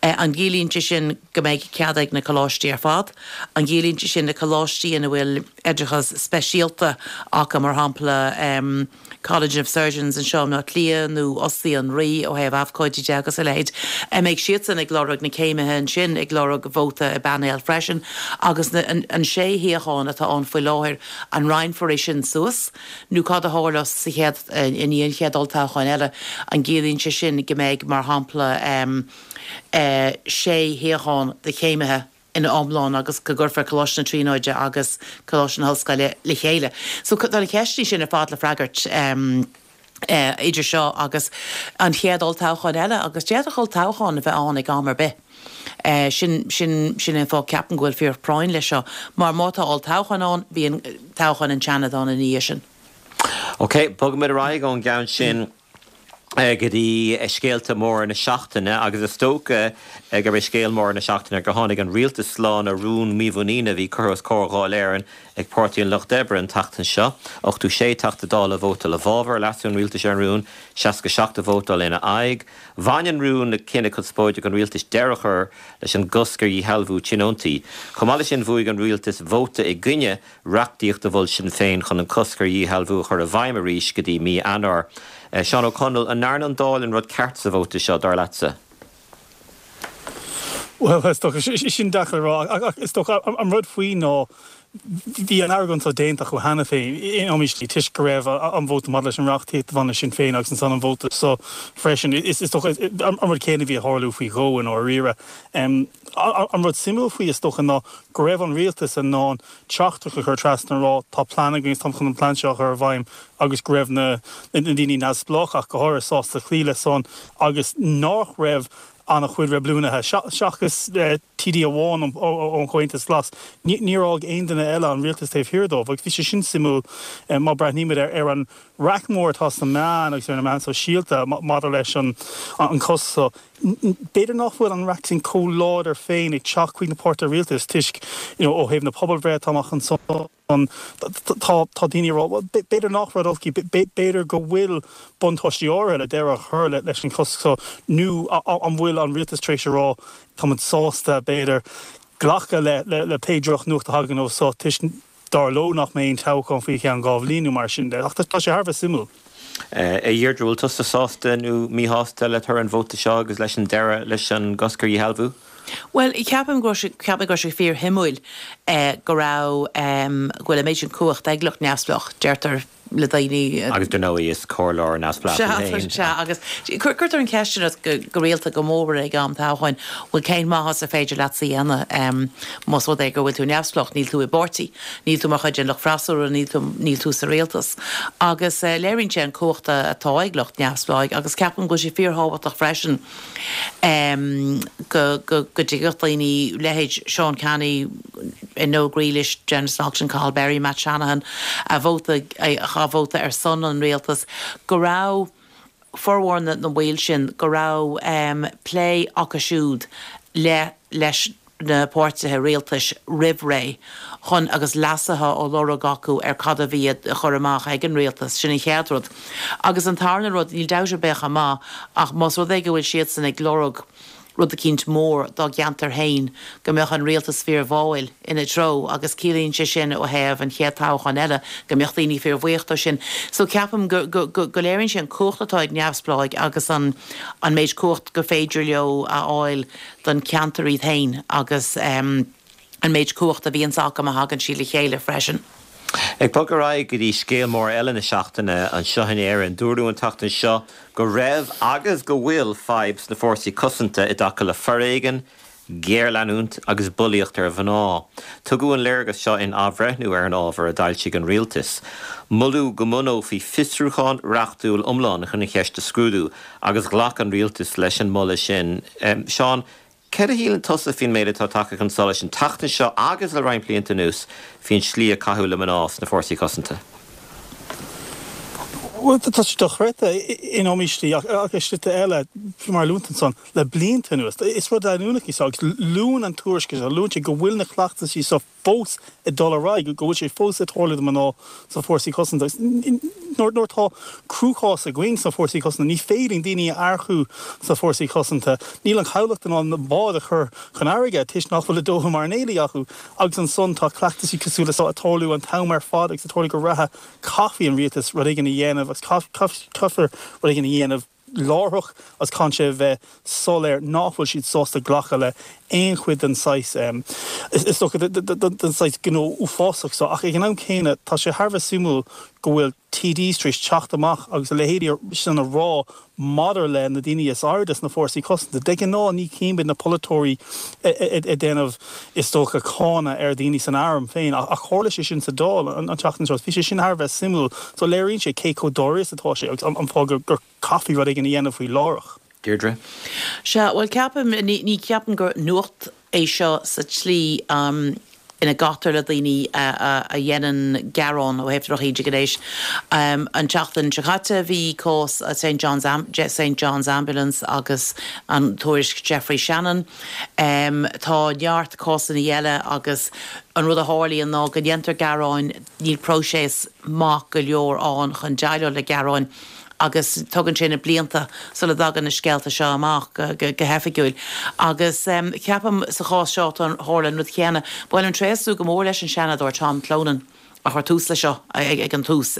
An gciallaíonn sé sin go mbeidh cead ag na coláistí ar fad? An gciallaíonn sé sin na coláistí ina bhfuil oideachas speisialta acu, mar shampla? College of Surgeons anseo i mBleá Cliath nó Ostaí an Rí ó thaobh abhcóidí de agus a leithéid, an mbeidh siadsan ag lorg na céimithe ansin ag lorg vóta i bpainéal freisin agus an sé shuíochán atá ann faoi láthair, an roinnfear é sin suas nó cad a tharlós sa chéad, i ndiaidh an chéad olltoghcháin eile, an gciallaíonn sé sin go mbeidh, mar shampla, sé shuíochán do chéimithe? ina iomlán agus go gcuirfear Coláiste na Tríonóide agus Coláiste na hOllscoile le chéile. So tá na ceisteanna sin ar fad le freagairt idir seo agus an chéad olltoghchán eile agus d'fhéadfadh olltoghchán a bheith ann ag am ar bith. Sin, sin, sin é an fáth ceapaim go bhfuil fíorphráinn leis seo mar má tá olltoghchán ann bíonn toghchán an tSeanaid ann ina dhiaidh sin. Ok, bogfaimid ar aghaidh ón gceann sin. go dtí scéalta móra na seachtaine agus is dócha gurb é scéal mór na seachtaine gur tháinig an rialtas slán ó rún mímhuiníne a bhí curtha os comhair Dháil Éireann ag Páirtí an Lucht Oibre an tseachtain seo. 86 Teachta Dála a vótáil i bhfabhar leasú an rialtais ar an rún, 67 a vótáil ina aghaidh. Bhain an rún le cinneadh conspóideach an rialtais deireadh a chur leis an gcosc ar dhíshealbhú tionóntaí. Chomh maith leis sin bhuaigh an rialtas vóta i gcoinne reachtaíocht a mhol Sinn Féin chun an cosc ar dhíshealbhú a chur i bhfeidhm arís go dtí mí Eanáir. Seán Ó Conaill, an ndearna an Dáil an rud ceart sa vóta seo, dar leatsa? Bhuel, is dócha, sin deacair a rá, ach is dócha an rud faoi ná bhí an argóint seo déanta acu cheana féin in iomaí slí toisc go raibh an vóta maidir leis an reachtaíocht a bhain le Sinn Féin agus ansan an vóta seo freisin. Is dócha an rud céanna a bhí ag tarlú faoi dhó i ndáiríre. An rud suimiúil faoi, is dócha, ná go raibh an rialtas in ann teachtaireacht a chur trasna a rá tá plean againn agus táim chun an plean seo a chur i bhfeidhm agus go raibh na daoine neamhspleách ach go háirithe sásta cloí leis san agus nach raibh an-chuid reibiliúnaithe, seachas TD amháin ón Chomhaontas Glas, níor fhág aon duine eile an rialtas taobh thiar dóibh agus bhí sé sin suimiúil má breathnaímid ar an raic mór atá sna meáin agus ar na meáin sóisialta maidir leis an cosc seo. B'fhéidir nach bhfuil an raic sin chomh láidir féin ag teacht chuig na páirtithe rialtais toisc, you know, ó thaobh na pobalbhreithe atá amach ansan, tá, tá daoine ag rá, bhuel, b'fhéidir nach rud olc í, b'fhéidir go bhfuil buntáistí áirithe le deireadh a chur leis an chosc seo nó an bhfuil an rialtas tar éis a rá tá muid sásta, b'fhéidir, glacadh le, le pé drochnuacht a thagann ó seo toisc dar leo nach mbeidh aon toghchán faoi cheann 2 bhliain nó mar sin de. Ach tá sé thar a bheith suimiúil. A Dheirdre, bhfuil tusa sásta nó míshásta le toradh an vóta seo agus leis an deireadh leis an gcosc ar dhíshealbhú? Bhuel, ceapaim go raibh sé, ceapaim go raibh sé fíorshuimiúil go raibh, go bhfuil an méid sin cumhacht ag lucht neamhspleách, deirtear le daoine. Agus dar ndóigh is comhairleoir neamhspleách tú féin. Sea, sea, agus cuirtear an cheist sin ort go rialta, go mór ag am toghcháin, bhuel cén maitheas ar féidir leatsa a dhéanamh más rud é go bhfuil tú neamhspleách, níl tú i bpáirtí, níl tú mar chuid den lucht freasúra, níl tú, níl tú sa rialtas. Agus léiríonn sé an cumhacht atá ag lucht neamhspleáigh agus ceapaim go bhfuil sé fíorthábhachtach freisin go dtuigfeadh daoine, leithéid Sean Canney, Noel Grealish, Denis Naughten, Cathal Berry, Matt Shanahan, a vótaigh, a vótaigh ar son an rialtas, go raibh formhór na mbaill sin, go raibh plé acu siúd le leis na páirtithe rialtais roimh ré chun agus leasuithe á lorg acu ar cad a bhí á chur amach ag an rialtas. Sin an chéad rud. Agus an tarna rud, níl dabht ar bith chomh maith ach más rud é go bhfuil siadsan ag lorg rud eicínt mór dá gceantar féin, go mbeadh an rialtas fíorbháúil ina treo agus ciallaíonn sé sin ó thaobh an chéad toghchán eile go mbeadh daoine fíorbhuíoch dó sin. So ceapaim go, go, go, go léiríonn sé an cumhacht atá ag neamhspleáigh agus an, an méid cumhacht gur féidir leo a fháil don cheantar iad féin agus an méid cumhachta a bhíonns acu má thagann siad le chéile freisin. Ag bogadh ar aghaidh go dtí scéal mór eile na seachtaine anseo in Éirinn, dúradh an tseachtain seo go raibh agus go bhfuil fadhb sna fórsaí cosanta i dtaca le foréigean, géarleanúint agus bulaíocht ar mhná. Tugadh an léargas seo in athbhreithniú ar an ábhar a d'fhoilsigh an rialtas. Moladh go mbunófaí fiosrúchán reachtúil iomlán chun an cheist a scrúdú agus ghlac an rialtas leis an moladh sin. Seán, céard a shíleann tusa faoin méid atá tagtha chun solais an tseachtain seo agus le roinnt blianta anuas faoin slí a caitheadh le mná sna fórsaí cosanta? Bhuel, tá sé dochreidte in iomaí slí ach i slite eile, faoi mar a luann tú ansan, le blianta anuas. Is rud leanúnach í seo agus luann an tuairisc seo, luann sé go bhfuil na cleachtaisí seo fós ag dul ar aghaidh, go bhfuil sé fós ag tarlú do mná sna fórsaí cosanta. Nuair atá cruachás againn sna Fórsaí Cosanta, ní féidir linn daoine a earcú sna Fórsaí Cosanta, níl an chabhlach in ann na báid a chur chun fharraige toisc nach bhfuil a dóthain mairnéalaigh acu agus ansan tá cleachtaisí cosúil le seo ag tarlú an t-am ar fad agus ag tarlú go reatha. Caithfidh an rialtas rud éigin a dhéanamh agus caithfear rud éigin a dhéanamh láithreach agus caitheann sé a bheith soiléir nach bhfuil siad sásta glacadh le aon chuid den saghas, is dócha, den saghas gnó uafásach seo. Ach ag an am céanna, tá sé thar a bheith suimiúil go bhfuil TDs tar éis teacht amach agus a leithéidí sin a rá maidir le na daoine is airde sna fórsaí cosanta. De ghnáth ní chímid na polaiteoirí ag déanamh, is dócha, cáineadh ar dhaoine san arm féin ach tharla sé sin sa Dáil an tseachtain seo. Bhí sé sin thar a bheith suimiúil. So léiríonn sé cé chomh dáiríre is atá sé agus an fáth gur caithfí rud éigin a dhéanamh faoi láithreach. Deirdre? Sea, bhuel ceapaim, ní cheapaim gur nuacht é seo sa tslí ina gcaitear le daoine a dhéanann gearán ó thaobh drochíde gnéis. An tseachtain seo caite bhí cás St John's St John's Ambulance agus an tuairisc Geoffrey Shannon. Tá neart cásanna eile agus an rud a tharlaíonn ná go ndéantar gearáin, níl próiseas maith go leor ann chun déileáil le gearáin. agus tugann sé na blianta sula dtagann na scéalta seo amach go hoifigiúil. Agus ceapaim sa chás seo tharla an rud céanna. Ba mhaith liom tréaslú go mór leis an Seanadóir Tom Clonan a chuir tús leis seo ag an tús,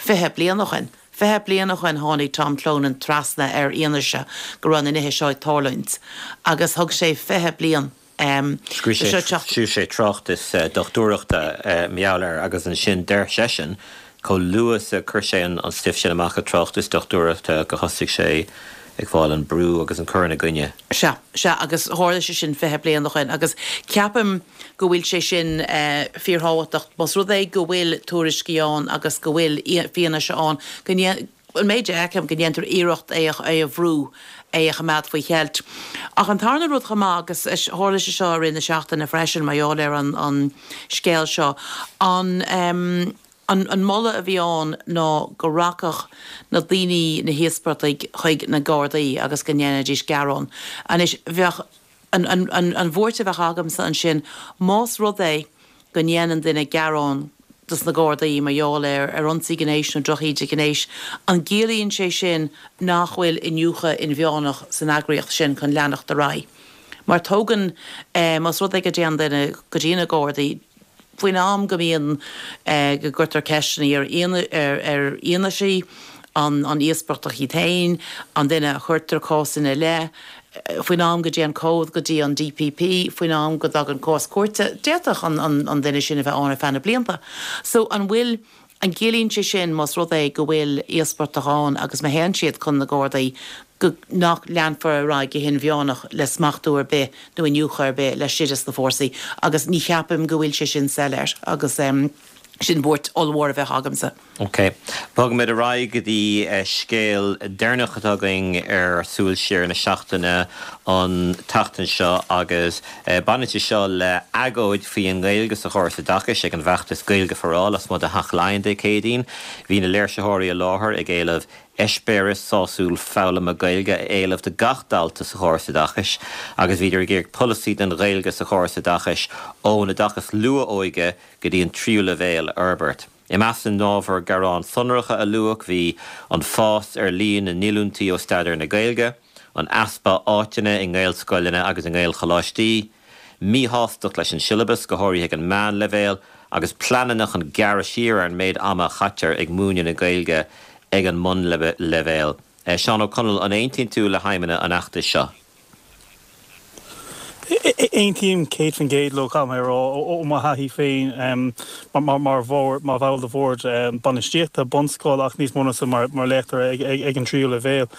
20 bliain ó shin. 20 bliain ó shin tháinig Tom Clonan trasna ar fhianaise go raibh na nithe seo ag tarlúint agus thug sé 20 bliain. Scríobh sé tráchtas dochtúireachta mar gheall air agus ansin deir seisean chomh luath is a chuir sé an stuif sin amach, a tráchtas dochtúireachta, go thosaigh sé ag fáil an brú agus an cur ina gcoinne. Sea, sea, agus tharla sé sin 20 bliain ó shin agus ceapaim go bhfuil sé sin fíorthábhachtach más rud é go bhfuil tuairiscí ann agus go bhfuil fianaise ann go an méid a fheicim, go ndéantar iarracht é a bhrú, é a choimeád faoi cheilt. Ach an tarna rud chomh maith, agus tharla sé seo i rith na seachtaine freisin mar gheall ar an scéal seo, an an moladh a bhí ann ná go rachadh na daoine, na híospartaigh, chuig na Gardaí agus go ndéanfaidís gearán. Anois, bheadh. An bhuairt a bheadh agamsa ansin, más rud é go ndéanann duine gearán dos na Gardaí mar gheall ar ar ionsaí gnéis nó drochíde gnéis, an gciallaíonn sé sin nach bhfuil iniúchadh inmheánach san eagraíocht sin chun leanacht ar aghaidh? Mar tógann, más rud é go dtéann duine go dtí na Gardaí, Faoin am go mbíonn, go gcuirtear ceisteanna ar ar fhianaisí, an íospartach iad féin, an duine a chuirtear cás ina leith, faoin am go dtéann comhad go dtí an DPP, faoin am go dtagann cás cúirte, d'fhéadfadh an duine sin a bheith ann ar feadh na blianta. So an bhfuil. An gciallaíonn sé sin, más rud é go bhfuil íospartach ann agus má théann siad chun na Gardaí, go nach leanfar ar aghaidh go hinmheánach le smachtú ar bith nó iniúchadh ar bith laistigh des na fórsaí? Agus ní cheapaim go bhfuil sé sin soiléir agus sin buairt ollmhór a bheadh agamsa. Ok. Bogfaimid ar aghaidh go dtí scéal deireanach atá againn ar Súil Siar na seachtaine an tseachtain seo agus Baineann sé seo le agóid faoi an nGaeilge sa chóras oideachais ag an bhfeachtas Gaeilge for All lasmuigh de Theach Laighean Dé Céadaoin. Bhí na léirsitheoirí i láthair ag éileamh eispéireas sásúil foghlama Gaeilge a éileamh do gach dalta sa chóras oideachais agus bhíodar ag iarraidh polasaí don Ghaeilge sa chóras oideachais ón oideachas luath-óige go dtí an tríú leibhéal a fhorbairt. I measc na n-ábhar gearán sonracha a luadh bhí an fás ar líon na ndíolúintí ó staidéar na Gaeilge, an easpa áiteanna i nGaelscoileanna agus i nGaelcholáistí, míshástacht leis an siollabas, go háirithe ag an meánleibhéal, agus pleananna chun gearradh siar ar an méid ama a chaitear ag múineadh na Gaeilge ag an mbunleibhéal. Seán Ó Conaill, an aontaíonn tú le haidhmeanna an fheachtais seo? Aontaím 100% leo, caithfidh mé a rá, ó mo thaithí féin mar bhall de bhord bainistíochta bunscoile ach níos mó ná sin mar léachtóir ag an tríú leibhéal.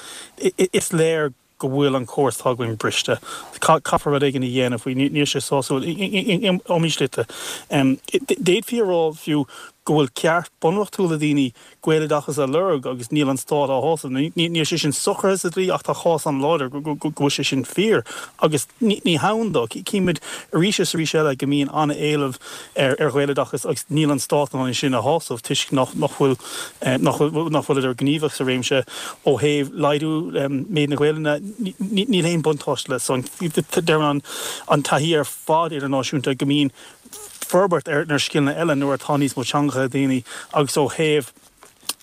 Is léir go bhfuil an córas atá againn briste. Caithfear rud éigin a dhéanamh faoi. Níl sé sásúil in iomaí slite. D'fhéadfaí a rá fiú go bhfuil ceart bunreachtúil ag daoine Gaeloideachas a lorg agus níl an stát á shásamh. Níl sé sin socraithe sa dlí ach tá cás an-láidir go bhfuil sé sin fíor agus ní hann dó. Címid arís is arís eile go mbíonn an-éileamh ar Ghaeloideachas agus níl an stát in ann é sin a shásamh toisc nach bhfuil nach bhfuileadar gníomhach sa réimse ó thaobh laghdú méid na Gaelainne. Níl aon buntáiste le san. Deireann an taithí ar fad idirnáisiúnta go mbíonn forbairt ar na scileanna eile nuair atá níos mó teangacha ag daoine agus ó thaobh.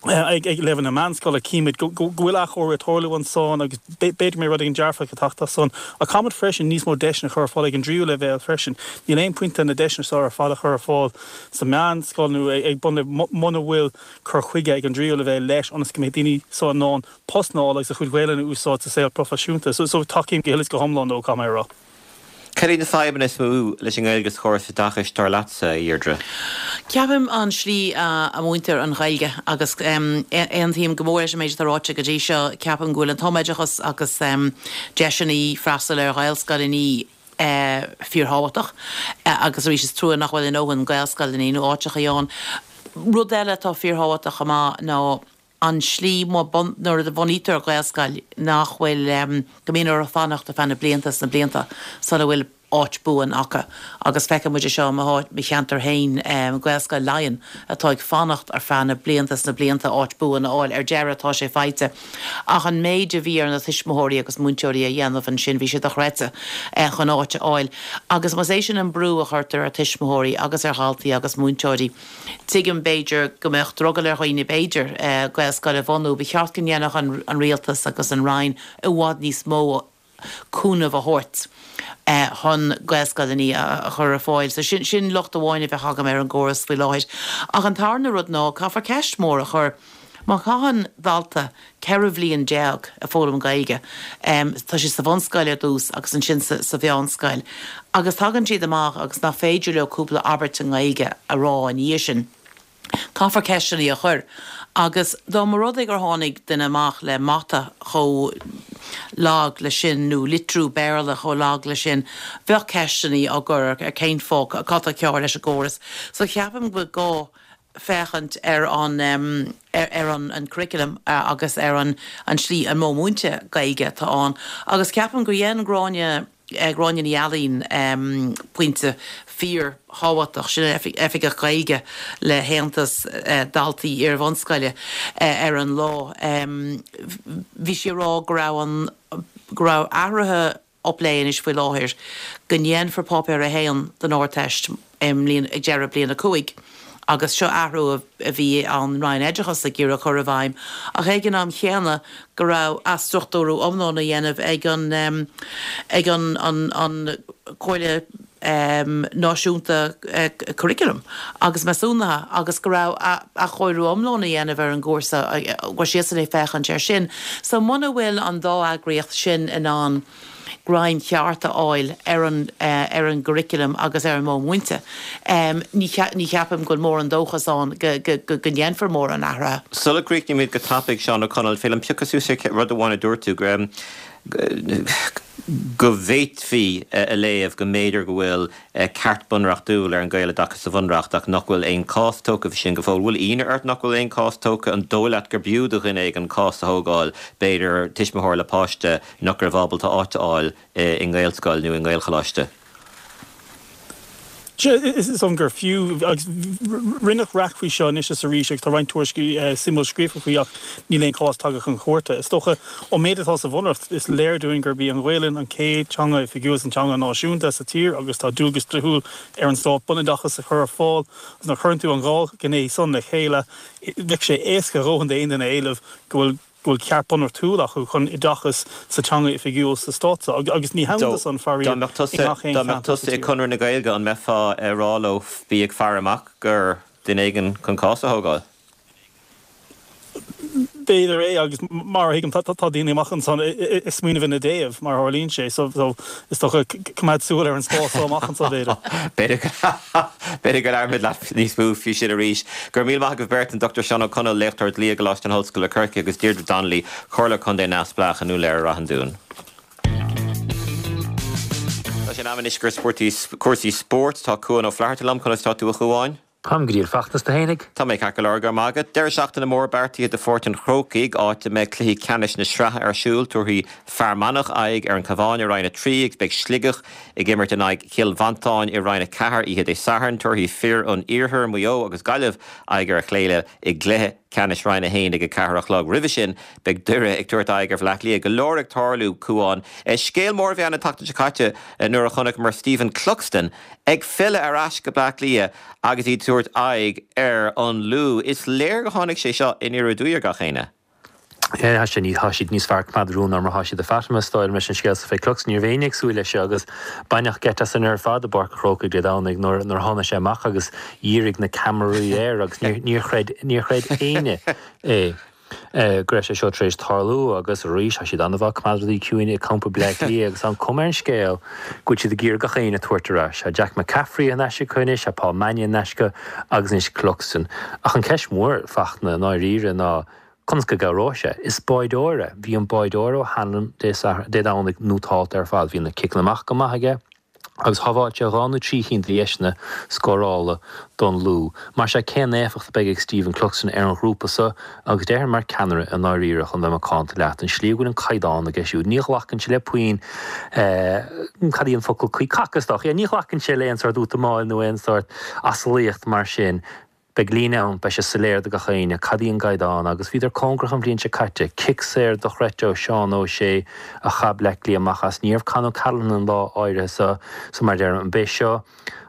Ag leibhéal na meánscoile, címid go bhfuil athchóiriú ag tarlú ansan agus b'fhéidir go mbeidh rud éigin dearfach ag teacht as san. Ach caithfimid freisin níos mó deiseanna a chur ar fáil ag an dtríú leibhéal freisin. Níl aon pointe na deiseanna seo ar fad a chur ar fáil sa meánscoil nó ag bunleibhéal muna bhfuil cur chuige ag an dtríú leibhéal leis ionas go mbeidh daoine seo in ann post a fháil agus a chuid Gaelainne a úsáid sa saol proifisiúnta. So tacaím go huile is go hiomlán leo, caithfidh mé a rá. Cad iad na fadhbanna is mó leis an nGaeilge sa chóras oideachais, dar leatsa, a Dheirdre? Ceapaim an slí a múintear an Ghaeilge agus aontaím go mór leis an méid atá ráite go dtí seo. Ceapaim go bhfuil an tumoideachas agus deiseanna freastal ar Ghaelscoileanna fíorthábhachtach agus arís is trua nach bhfuil a ndóthain Gaelscoileanna nó áiteachaí ann. Rud eile atá fíorthábhachtach chomh maith ná an slí nuair a bhunaítear Gaelscoil nach bhfuil, go mbíonn orthu fanacht ar feadh na blianta is na blianta sula bhfuil áit buan acu agus feiceann muid é seo i mo cheantar féin, Gaelscoil Laighean atá ag fanacht ar feadh na blianta is na blianta áit buan a fháil. Ar deireadh tá sé faighte ach an méid a bhí ar na tuismitheoirí agus múinteoirí a dhéanamh ansin bhí sé dochreidte chun áit a fháil agus más é sin an brú a chuirtear ar tuismitheoirí agus ar dhaltaí agus múinteoirí Tuigim, b'fhéidir, go mbeadh drogall ar dhaoine, b'fhéidir, Gaelscoil a bhunú. Ba cheart go ndéanfadh an Rialtas agus an Roinn i bhfad níos mó cúnamh a thabhairt chun Gaelscoileanna a chur ar fáil. So sin, sin locht amháin a bheadh agam ar an gcóras faoi láthair. Ach an tarna rud ná, caithfear ceist mhór a chur. Má chaitheann dalta 14 bhliain ag foghlaim Gaeilge, tá siad sa bhunscoil ar dtús agus ansin sa mheánscoil, agus tagann siad amach agus nach féidir leo cúpla abairt i nGaeilge a rá ina dhiaidh sin, caithfear ceisteanna a chur. Agus dá mba rud é gur tháinig duine amach le mata chomh lag le sin nó litriú Béarla chomh lag le sin, bheadh ceisteanna á gcur ar cén fáth, cad tá cearr leis an gcóras. So ceapaim go bhfuil gá féachaint ar an ar an an curriculum agus ar an an slí an modh múinte Gaeilge atá ann agus ceapaim gur dhein Gráinne Gráinne Ní Ailín pointe fíor thábhachtach, sin Oifigeach Gaeilge le hAontas Daltaí Iarbhunscoile ar an lá. Bhí sí ag rá go raibh an go raibh athruithe á bplé anois faoi láthair go ndéanfar Páipéar 1 den Ardteist i mbliain, ag deireadh bliain 5 agus seo athrú a bhí an Roinn Oideachais ag iarraidh cur i bhfeidhm ach ag an am chéanna go raibh athstruchtúrú iomlán á dhéanamh ag an ag an an an Comhairle Náisiúnta Curriculum agus Measúnaithe agus go raibh athchóiriú iomlán á dhéanamh ar an gcúrsa, go raibh siadsan ag féachaint air sin. So muna bhfuil an dá eagraíocht sin in ann greim cheart a fháil ar an ar an gcurriculum agus ar an modh múinte, ní ní cheapaim go bhfuil mórán dóchas ann go go go ndéanfar mórán athraithe. Sula gcríochnaímid go tapaidh, Seán Ó Conaill, féidir liom piocadh suas ar rud amháin a dúirt tú, go bhféadfaí a léamh go mb'fhéidir go bhfuil ceart bunreachtúil ar an Ghaeloideachas sa Bhunreacht ach nach bhfuil aon chás tógtha faoi sin go fóill. Bhfuil ionadh ort nach bhfuil aon chás tógtha? An dóigh leat gur b'fhiú do dhuine éigin cás a thógáil, b'fhéidir tuismitheoir le páiste nach raibh ábalta áit a fháil i nGaelscoil nó i nGaelcholáiste? Sea, is dóigh liom gur fiú, agus rinneadh raic faoi seo anois is arís agus tá roinnt tuairiscí suimiúil scríofa faoi ach níl aon chás tagtha chun cúirte. Is dócha, ón méid atá sa Bhunreacht, is léir dúinn gurb í an Ghaelainn an chéad teanga oifigiúil is an teanga náisiúnta sa tír agus tá dualgas dlíthiúil ar an stát bunoideachas a chur ar fáil agus nuair a chuireann tú an dhá ghné san le chéile, bheadh sé éasca a dhóthain d'aon duine a éileamh go bhfuil go bhfuil ceart bunreachtúil acu chun oideachas sa teanga oifigiúil sa stát seo agus ní hann do san, faraor, i ngach aon cheantar sa tír. Dá mbeadh tusa i Conradh na Gaeilge an mbeifeá ag rá leo bí ag faire amach gur duine éigin chun cás a thógáil? B'fhéidir é agus mar a thuigim tá daoine amach ansan ag smaoineamh ina dtaobh mar a tharlaíonn sé so is dócha coimeád súil ar an spás so amach anso b'fhéidir. B'fhéidir go labhróimid leat níos mó faoi sin arís. Go raibh míle maith agaibh beirt, an Dr Seán Ó Conaill, léachtóir dlí i gColáiste na hOllscoile Corcaigh agus Deirdre Donnelly, Comhairleoir Contae neamhspleách i nDún Laoghaire Rath an Dúin. Tá sé in am anois gur cúrsaí spóirt. Tá Cuan Ó Flatharta liom. Conas tá tú a Chuáin? Táim go diail feachtas tú fhéinig. Tá mé ceart go leor, go raibh maith agat. Deireadh seachtaine mór beartaithe do Pháirc an Chrócaigh, áit a mbeidh cluichí ceannais na sraithe ar siúl. Tabharfaidh Fear Manach aghaidh ar an Chabhán i Roinn 3 agus beidh Sligeach ag imirt in aghaidh Chill Mhantáin i Roinn 4 oíche Dé Sathairn. Tabharfaidh fir an Iarthair, Maigh Eo agus Gaillimh aghaidh ar a chéile i gcluiche. Ceannais Roinn 1 ag a 4 a chlog. Roimhe sin, beidh Doire ag tabhairt aghaidh ar Bhleá Cliath. Go leor ag tarlú, Cuán. Scéal mór a bhí ann an tseachtain seo caite nuair a chonaiceamar Stephen Cluxton ag filleadh ar ais go Bleá Cliath agus iad ag tabhairt aghaidh ar an Lú. Is léir gur tháinig sé seo aniar aduaidh ar gach éinne. Tá sé, tá siad níos fearr coimeád rún ná mar atá siad a Fatima, is dóigh liom, leis an scéal so fé Cluxton. Ní raibh éinne ag súil leis seo agus baineadh geit asainn ar fad i bPáirc a' Chrócaigh Dé Domhnaigh nuair a tháinig sé amach agus dhírigh na ceamaraí air agus níor chreid, níor chreid éinne é go raibh sé seo tar éis tarlú agus arís tá siad an-mhaith coimeád rudaí ciúin i gcampa Bleá Cliath agus tá an cuma ar an scéal go bhfuil siad ag iarraidh gach éinne a tabhairt ar ais. Tá Jack McCaffrey in ais acu anois, tá Paul Mannion in ais acu agus anois Cluxton. Ach an ceist mhór, Fachtna, i ndáiríre ná Conas go gcabhróidh sé? Is báideoir é. Bhí an báideoir O'Hanlon Dé Sathairn, Dé Domhnaigh nótálta ar fad. Bhí na ciceanna amach go maith aige agus shábháil sé dhá nó trí chinn de dheiseanna scórála don Lú. Mar sea, cén éifeacht a bheidh ag Stephen Cluxton ar an ghrúpa so agus déarfainn mar ceannaire i ndáiríre chun bheith macánta leat, an slí a bhfuil an caighdeán aige siúd. Ní ghlacann sé le puinn, cad í an focal cuí, cac is dócha, ní ghlacann sé le aon sórt útamáil nó aon sórt asalaíocht mar sin. Beidh líne ann, beidh sé soiléir do gach éinne cad í an gcaighdeán agus bhíodar cóngarach an bhliain seo caite. Cic saor dochreidte ó Seán Ó Sé a chaith Bleá Cliath amach as. Ní raibh Con O'Callaghan an lá áirithe so, so mar a deirim, an b'é seo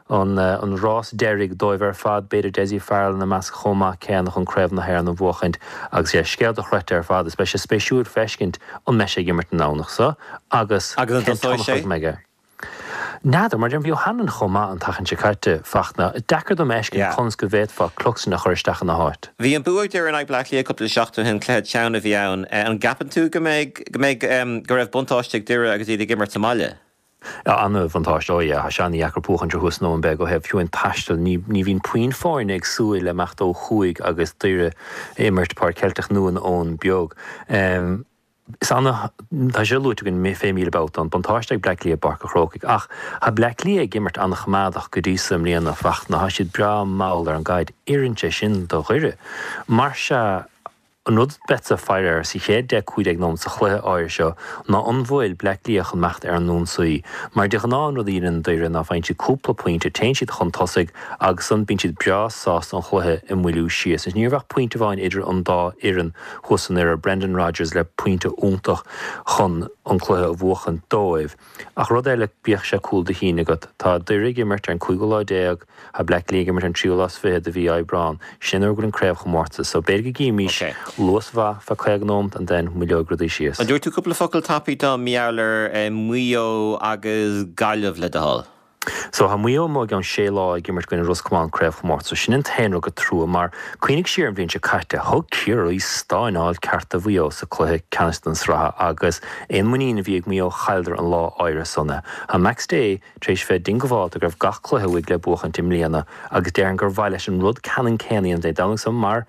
an an rás deiridh dóibh ar fad, b'fhéidir Dessie Farrell ina measc chomh maith céanna chun Craobh na hÉireann a bhuachaint agus yeah, scéal dochreidte ar fad is beidh sé spéisiúil feiscint an mbeidh sé ag imirt an Domhnach so agus Agus an cén dtosóidh tionchar sé? go mbeidh aige. N'fheadar, mar a deirim, bhí O'Hanlon chomh maith an tseachtain seo caite, Fachtna. Deacair dom a fheiscint Yeah. conas go bhféadfá Cluxton a chur isteach ina háit. Bhí an bua ag Doire in aghaidh Bleá Cliath cúpla seachtain ó shin, cluiche teann a bhí ann. An gceapann tú go mbeidh, go mbeidh, go raibh buntáiste ag Doire agus iad ag imirt sa mbaile? Ana-bhuntáiste, oh yeah, tá sé ana-dheacair buachaint thuas in Eoin Beag ó thaobh fiú an taistil. Ní, ní bhíonn puinn foirne ag súil le imeacht ó thuaidh agus Doire ag imirt Páirc Cheilteach nó in Eoin Beag. Is ana, tá sé luaite againn fé 1000 babhta, an buntáiste ag Bleá Cliath i bPáirc a' Chrócaigh. Ach tá Bleá Cliath ag imirt an-choimeádach go dtí so i mbliana, Fachtna. Tá siad breá mall ar an gcaid. Oireann sé sin do Dhoire. Mar sea, an rud beadsa ag faire air sa chéad 10, 15 nóiméad sa chluiche áirithe seo ná an bhfuil Bleá Cliath chun imeacht ar an ionsaí. Mar de ghnáth an rud a dhéanann Doire ná faigheann siad cúpla pointe, téann siad chun tosaigh agus ansan bíonn siad breá sásta an chluiche a mhoilliú síos. Ní raibh ach pointe amháin idir an dá fhoireann. thuas i nDoire, Brendan Rodgers le pointe iontach chun an cluiche a bhuachaint dóibh. Ach rud eile, bíodh sé cúl do chinn agat, tá Doire ag imirt ar an cúigiú lá déag, tá Bleá Cliath ag imirt ar an tríú lá is fiche de mhí Aibreán, sin nuair a bhfuil an craobhchomórtas, so b'fhéidir go gcífimís luas mhaith feadh 50 nóimeat and then moilleoidh rudaí síos. An dtabharfaidh tú cúpla focal tapaidh dom mar gheall ar Mhaigh Eo agus Gaillimh le do thoil? So tá Maigh Eo amuigh i gceann sé lá ag imirt i gcoinne Ros Comáin craobhchomórtas. So sin an t-aon rud gur trua mar cuimhnigh siar an bhliain seo caite, thug Ciarraí stáineáil ceart do Mhaigh Eo sa cluiche ceannais den sraith agus aon muinín a bhí ag Maigh Eo chailleadar an lá áirithe san é. Tá Max Day tar éis bheith diongbháilte go raibh gach cluiche uaidh le buachaint i mbliana agus déarfainn gur mhaith leis an rud ceannann céanna a dhéanamh Dé Domhnaigh so mar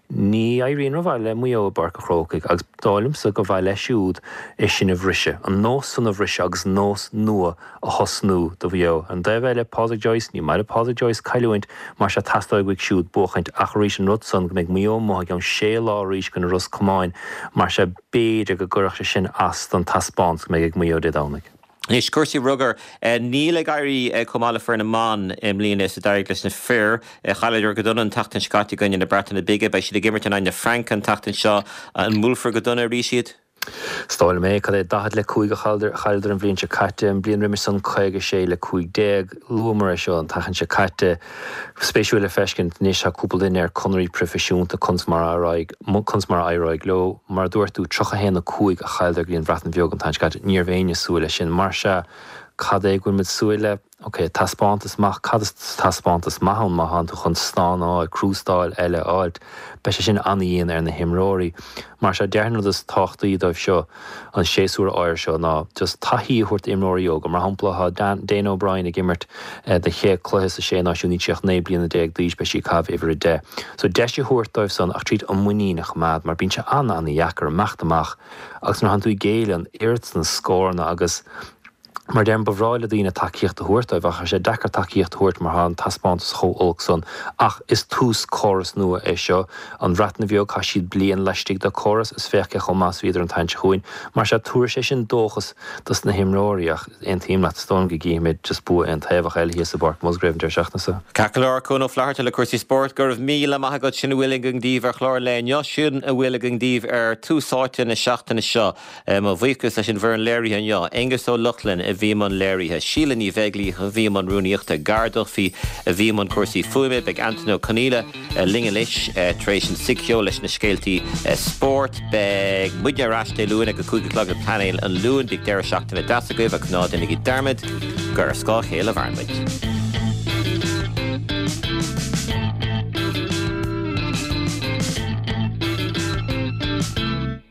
ní éiríonn rómhaith le Maigh Eo i bPáirc a' Chrócaigh agus dóigh liomsa gur mhaith leis siúd é sin a bhriseadh, an nós san a bhriseadh agus nós nua a thosnú do Mhaigh Eo. Ar an dtaobh eile, Pádraig Joyce, ní maith le Pádraig Joyce cailliúint, mar sea teastóidh uaidh siúd buachaint, ach arís an rud san go mbeidh Maigh Eo amuigh i gceann sé lá arís i gcoinne Ros Comáin, mar sea b'fhéidir go gcuirfeadh sé sin as don taispeántas go mbeidh ag Maigh Eo Dé Domhnaigh. Anois, cúrsaí rugair. Níl ag éirí chomh maith le foireann na mban i mbliana is a d'éirigh leis na fir. Chailleadar go dona an tseachtain seo caite i gcoinne na Breataine Bige. Beidh siad ag imirt in aghaidh na Fraince an tseachtain seo. An mbuailfear go dona arís iad? Is dóigh liom é. Cad é, 40 le 5 a chailleadar an bhliain seo caite, an bhliain roimis san 56 le 15. Luamar é seo an tseachtain seo caite. Spéisiúil le feiscint anois, tá cúpla duine ar conairí proifisiúnta, conas mar a éireoidh, conas mar a éireoidh leo. Mar a dúirt tú, 31 5 a chailleadar go dtí an Bhreatain Bheag an tseachtain seo caite. Ní raibh éinne ag súil leis sin. Mar sea, cad é go bhfuil muid súil le? Ok, taispeántas maith, cad is taispeántas maith ann má thánn tú chun stánáil, crústáil eile a fháilt? Beidh sé sin an-dhian ar na himreoirí. Mar sea, déarfainn an rud is tábhachtaí dóibh seo an séasúr áirithe seo ná just taithí a thabhairt d'imreoirí óga. Mar shampla, tá Dana O'Brien ag imirt do chéad cluiche sa Sé Náisiún, níl sí ach 19 bliana d'aois, beidh sí ag caitheamh uimhir 10. So deis a thabhairt dóibh san ach tríd an muinín a choimeád mar bíonn sé an-an-dheacair imeacht amach agus nuair a thánn tú ag géilleadh an oiread san scóranna agus. Mar deirim, ba bhreá le daoine tacaíocht a thabhairt dóibh ach tá sé deacair tacaíocht a thabhairt mar tá an taispeántas chomh olc san. Ach is tús córas nua é seo. An Bhreatain Bheag, chaith siad bliain laistigh de córas is féach cé chomh maith is a bhíodar an tseachtain seo chugainn. Mar sea, tabharfaidh sé sin dóchas dos na himreoirí ach aontaím leat, is dóigh liom go gcífimid just bua aontaobhach eile thíos i bPáirc Musgrave an deireadh seachtaine seo. Ceart go leor, Cuan Ó Flatharta le cúrsaí spóirt, go raibh míle maith agat. Sin a bhfuil againn daoibh ar chlár an lae inniu. Sin a bhfuil againn daoibh ar Tús Áite na seachtaine seo. Mo bhuíochas leis an bhfoireann léirithe inniu, Aengus Ó Lochlainn a bhí i mbun léirithe, Síle Ní Bheaglaoich a bhí i mbun rúnaíochta, Gar Duffy a bhí i mbun cúrsaí fuaime, beidh Antain Ó Conghaile linn anois tar éis an tSighcheoil leis na scéaltaí spóirt. Beidh muidne ar ais Dé Luain ag a 5 a chlog le Painéal an Luain. Bíodh deireadh seachtaine deas agaibh ach ná déanaigí dearmad gur ar scáth a chéile a mhaireann muid.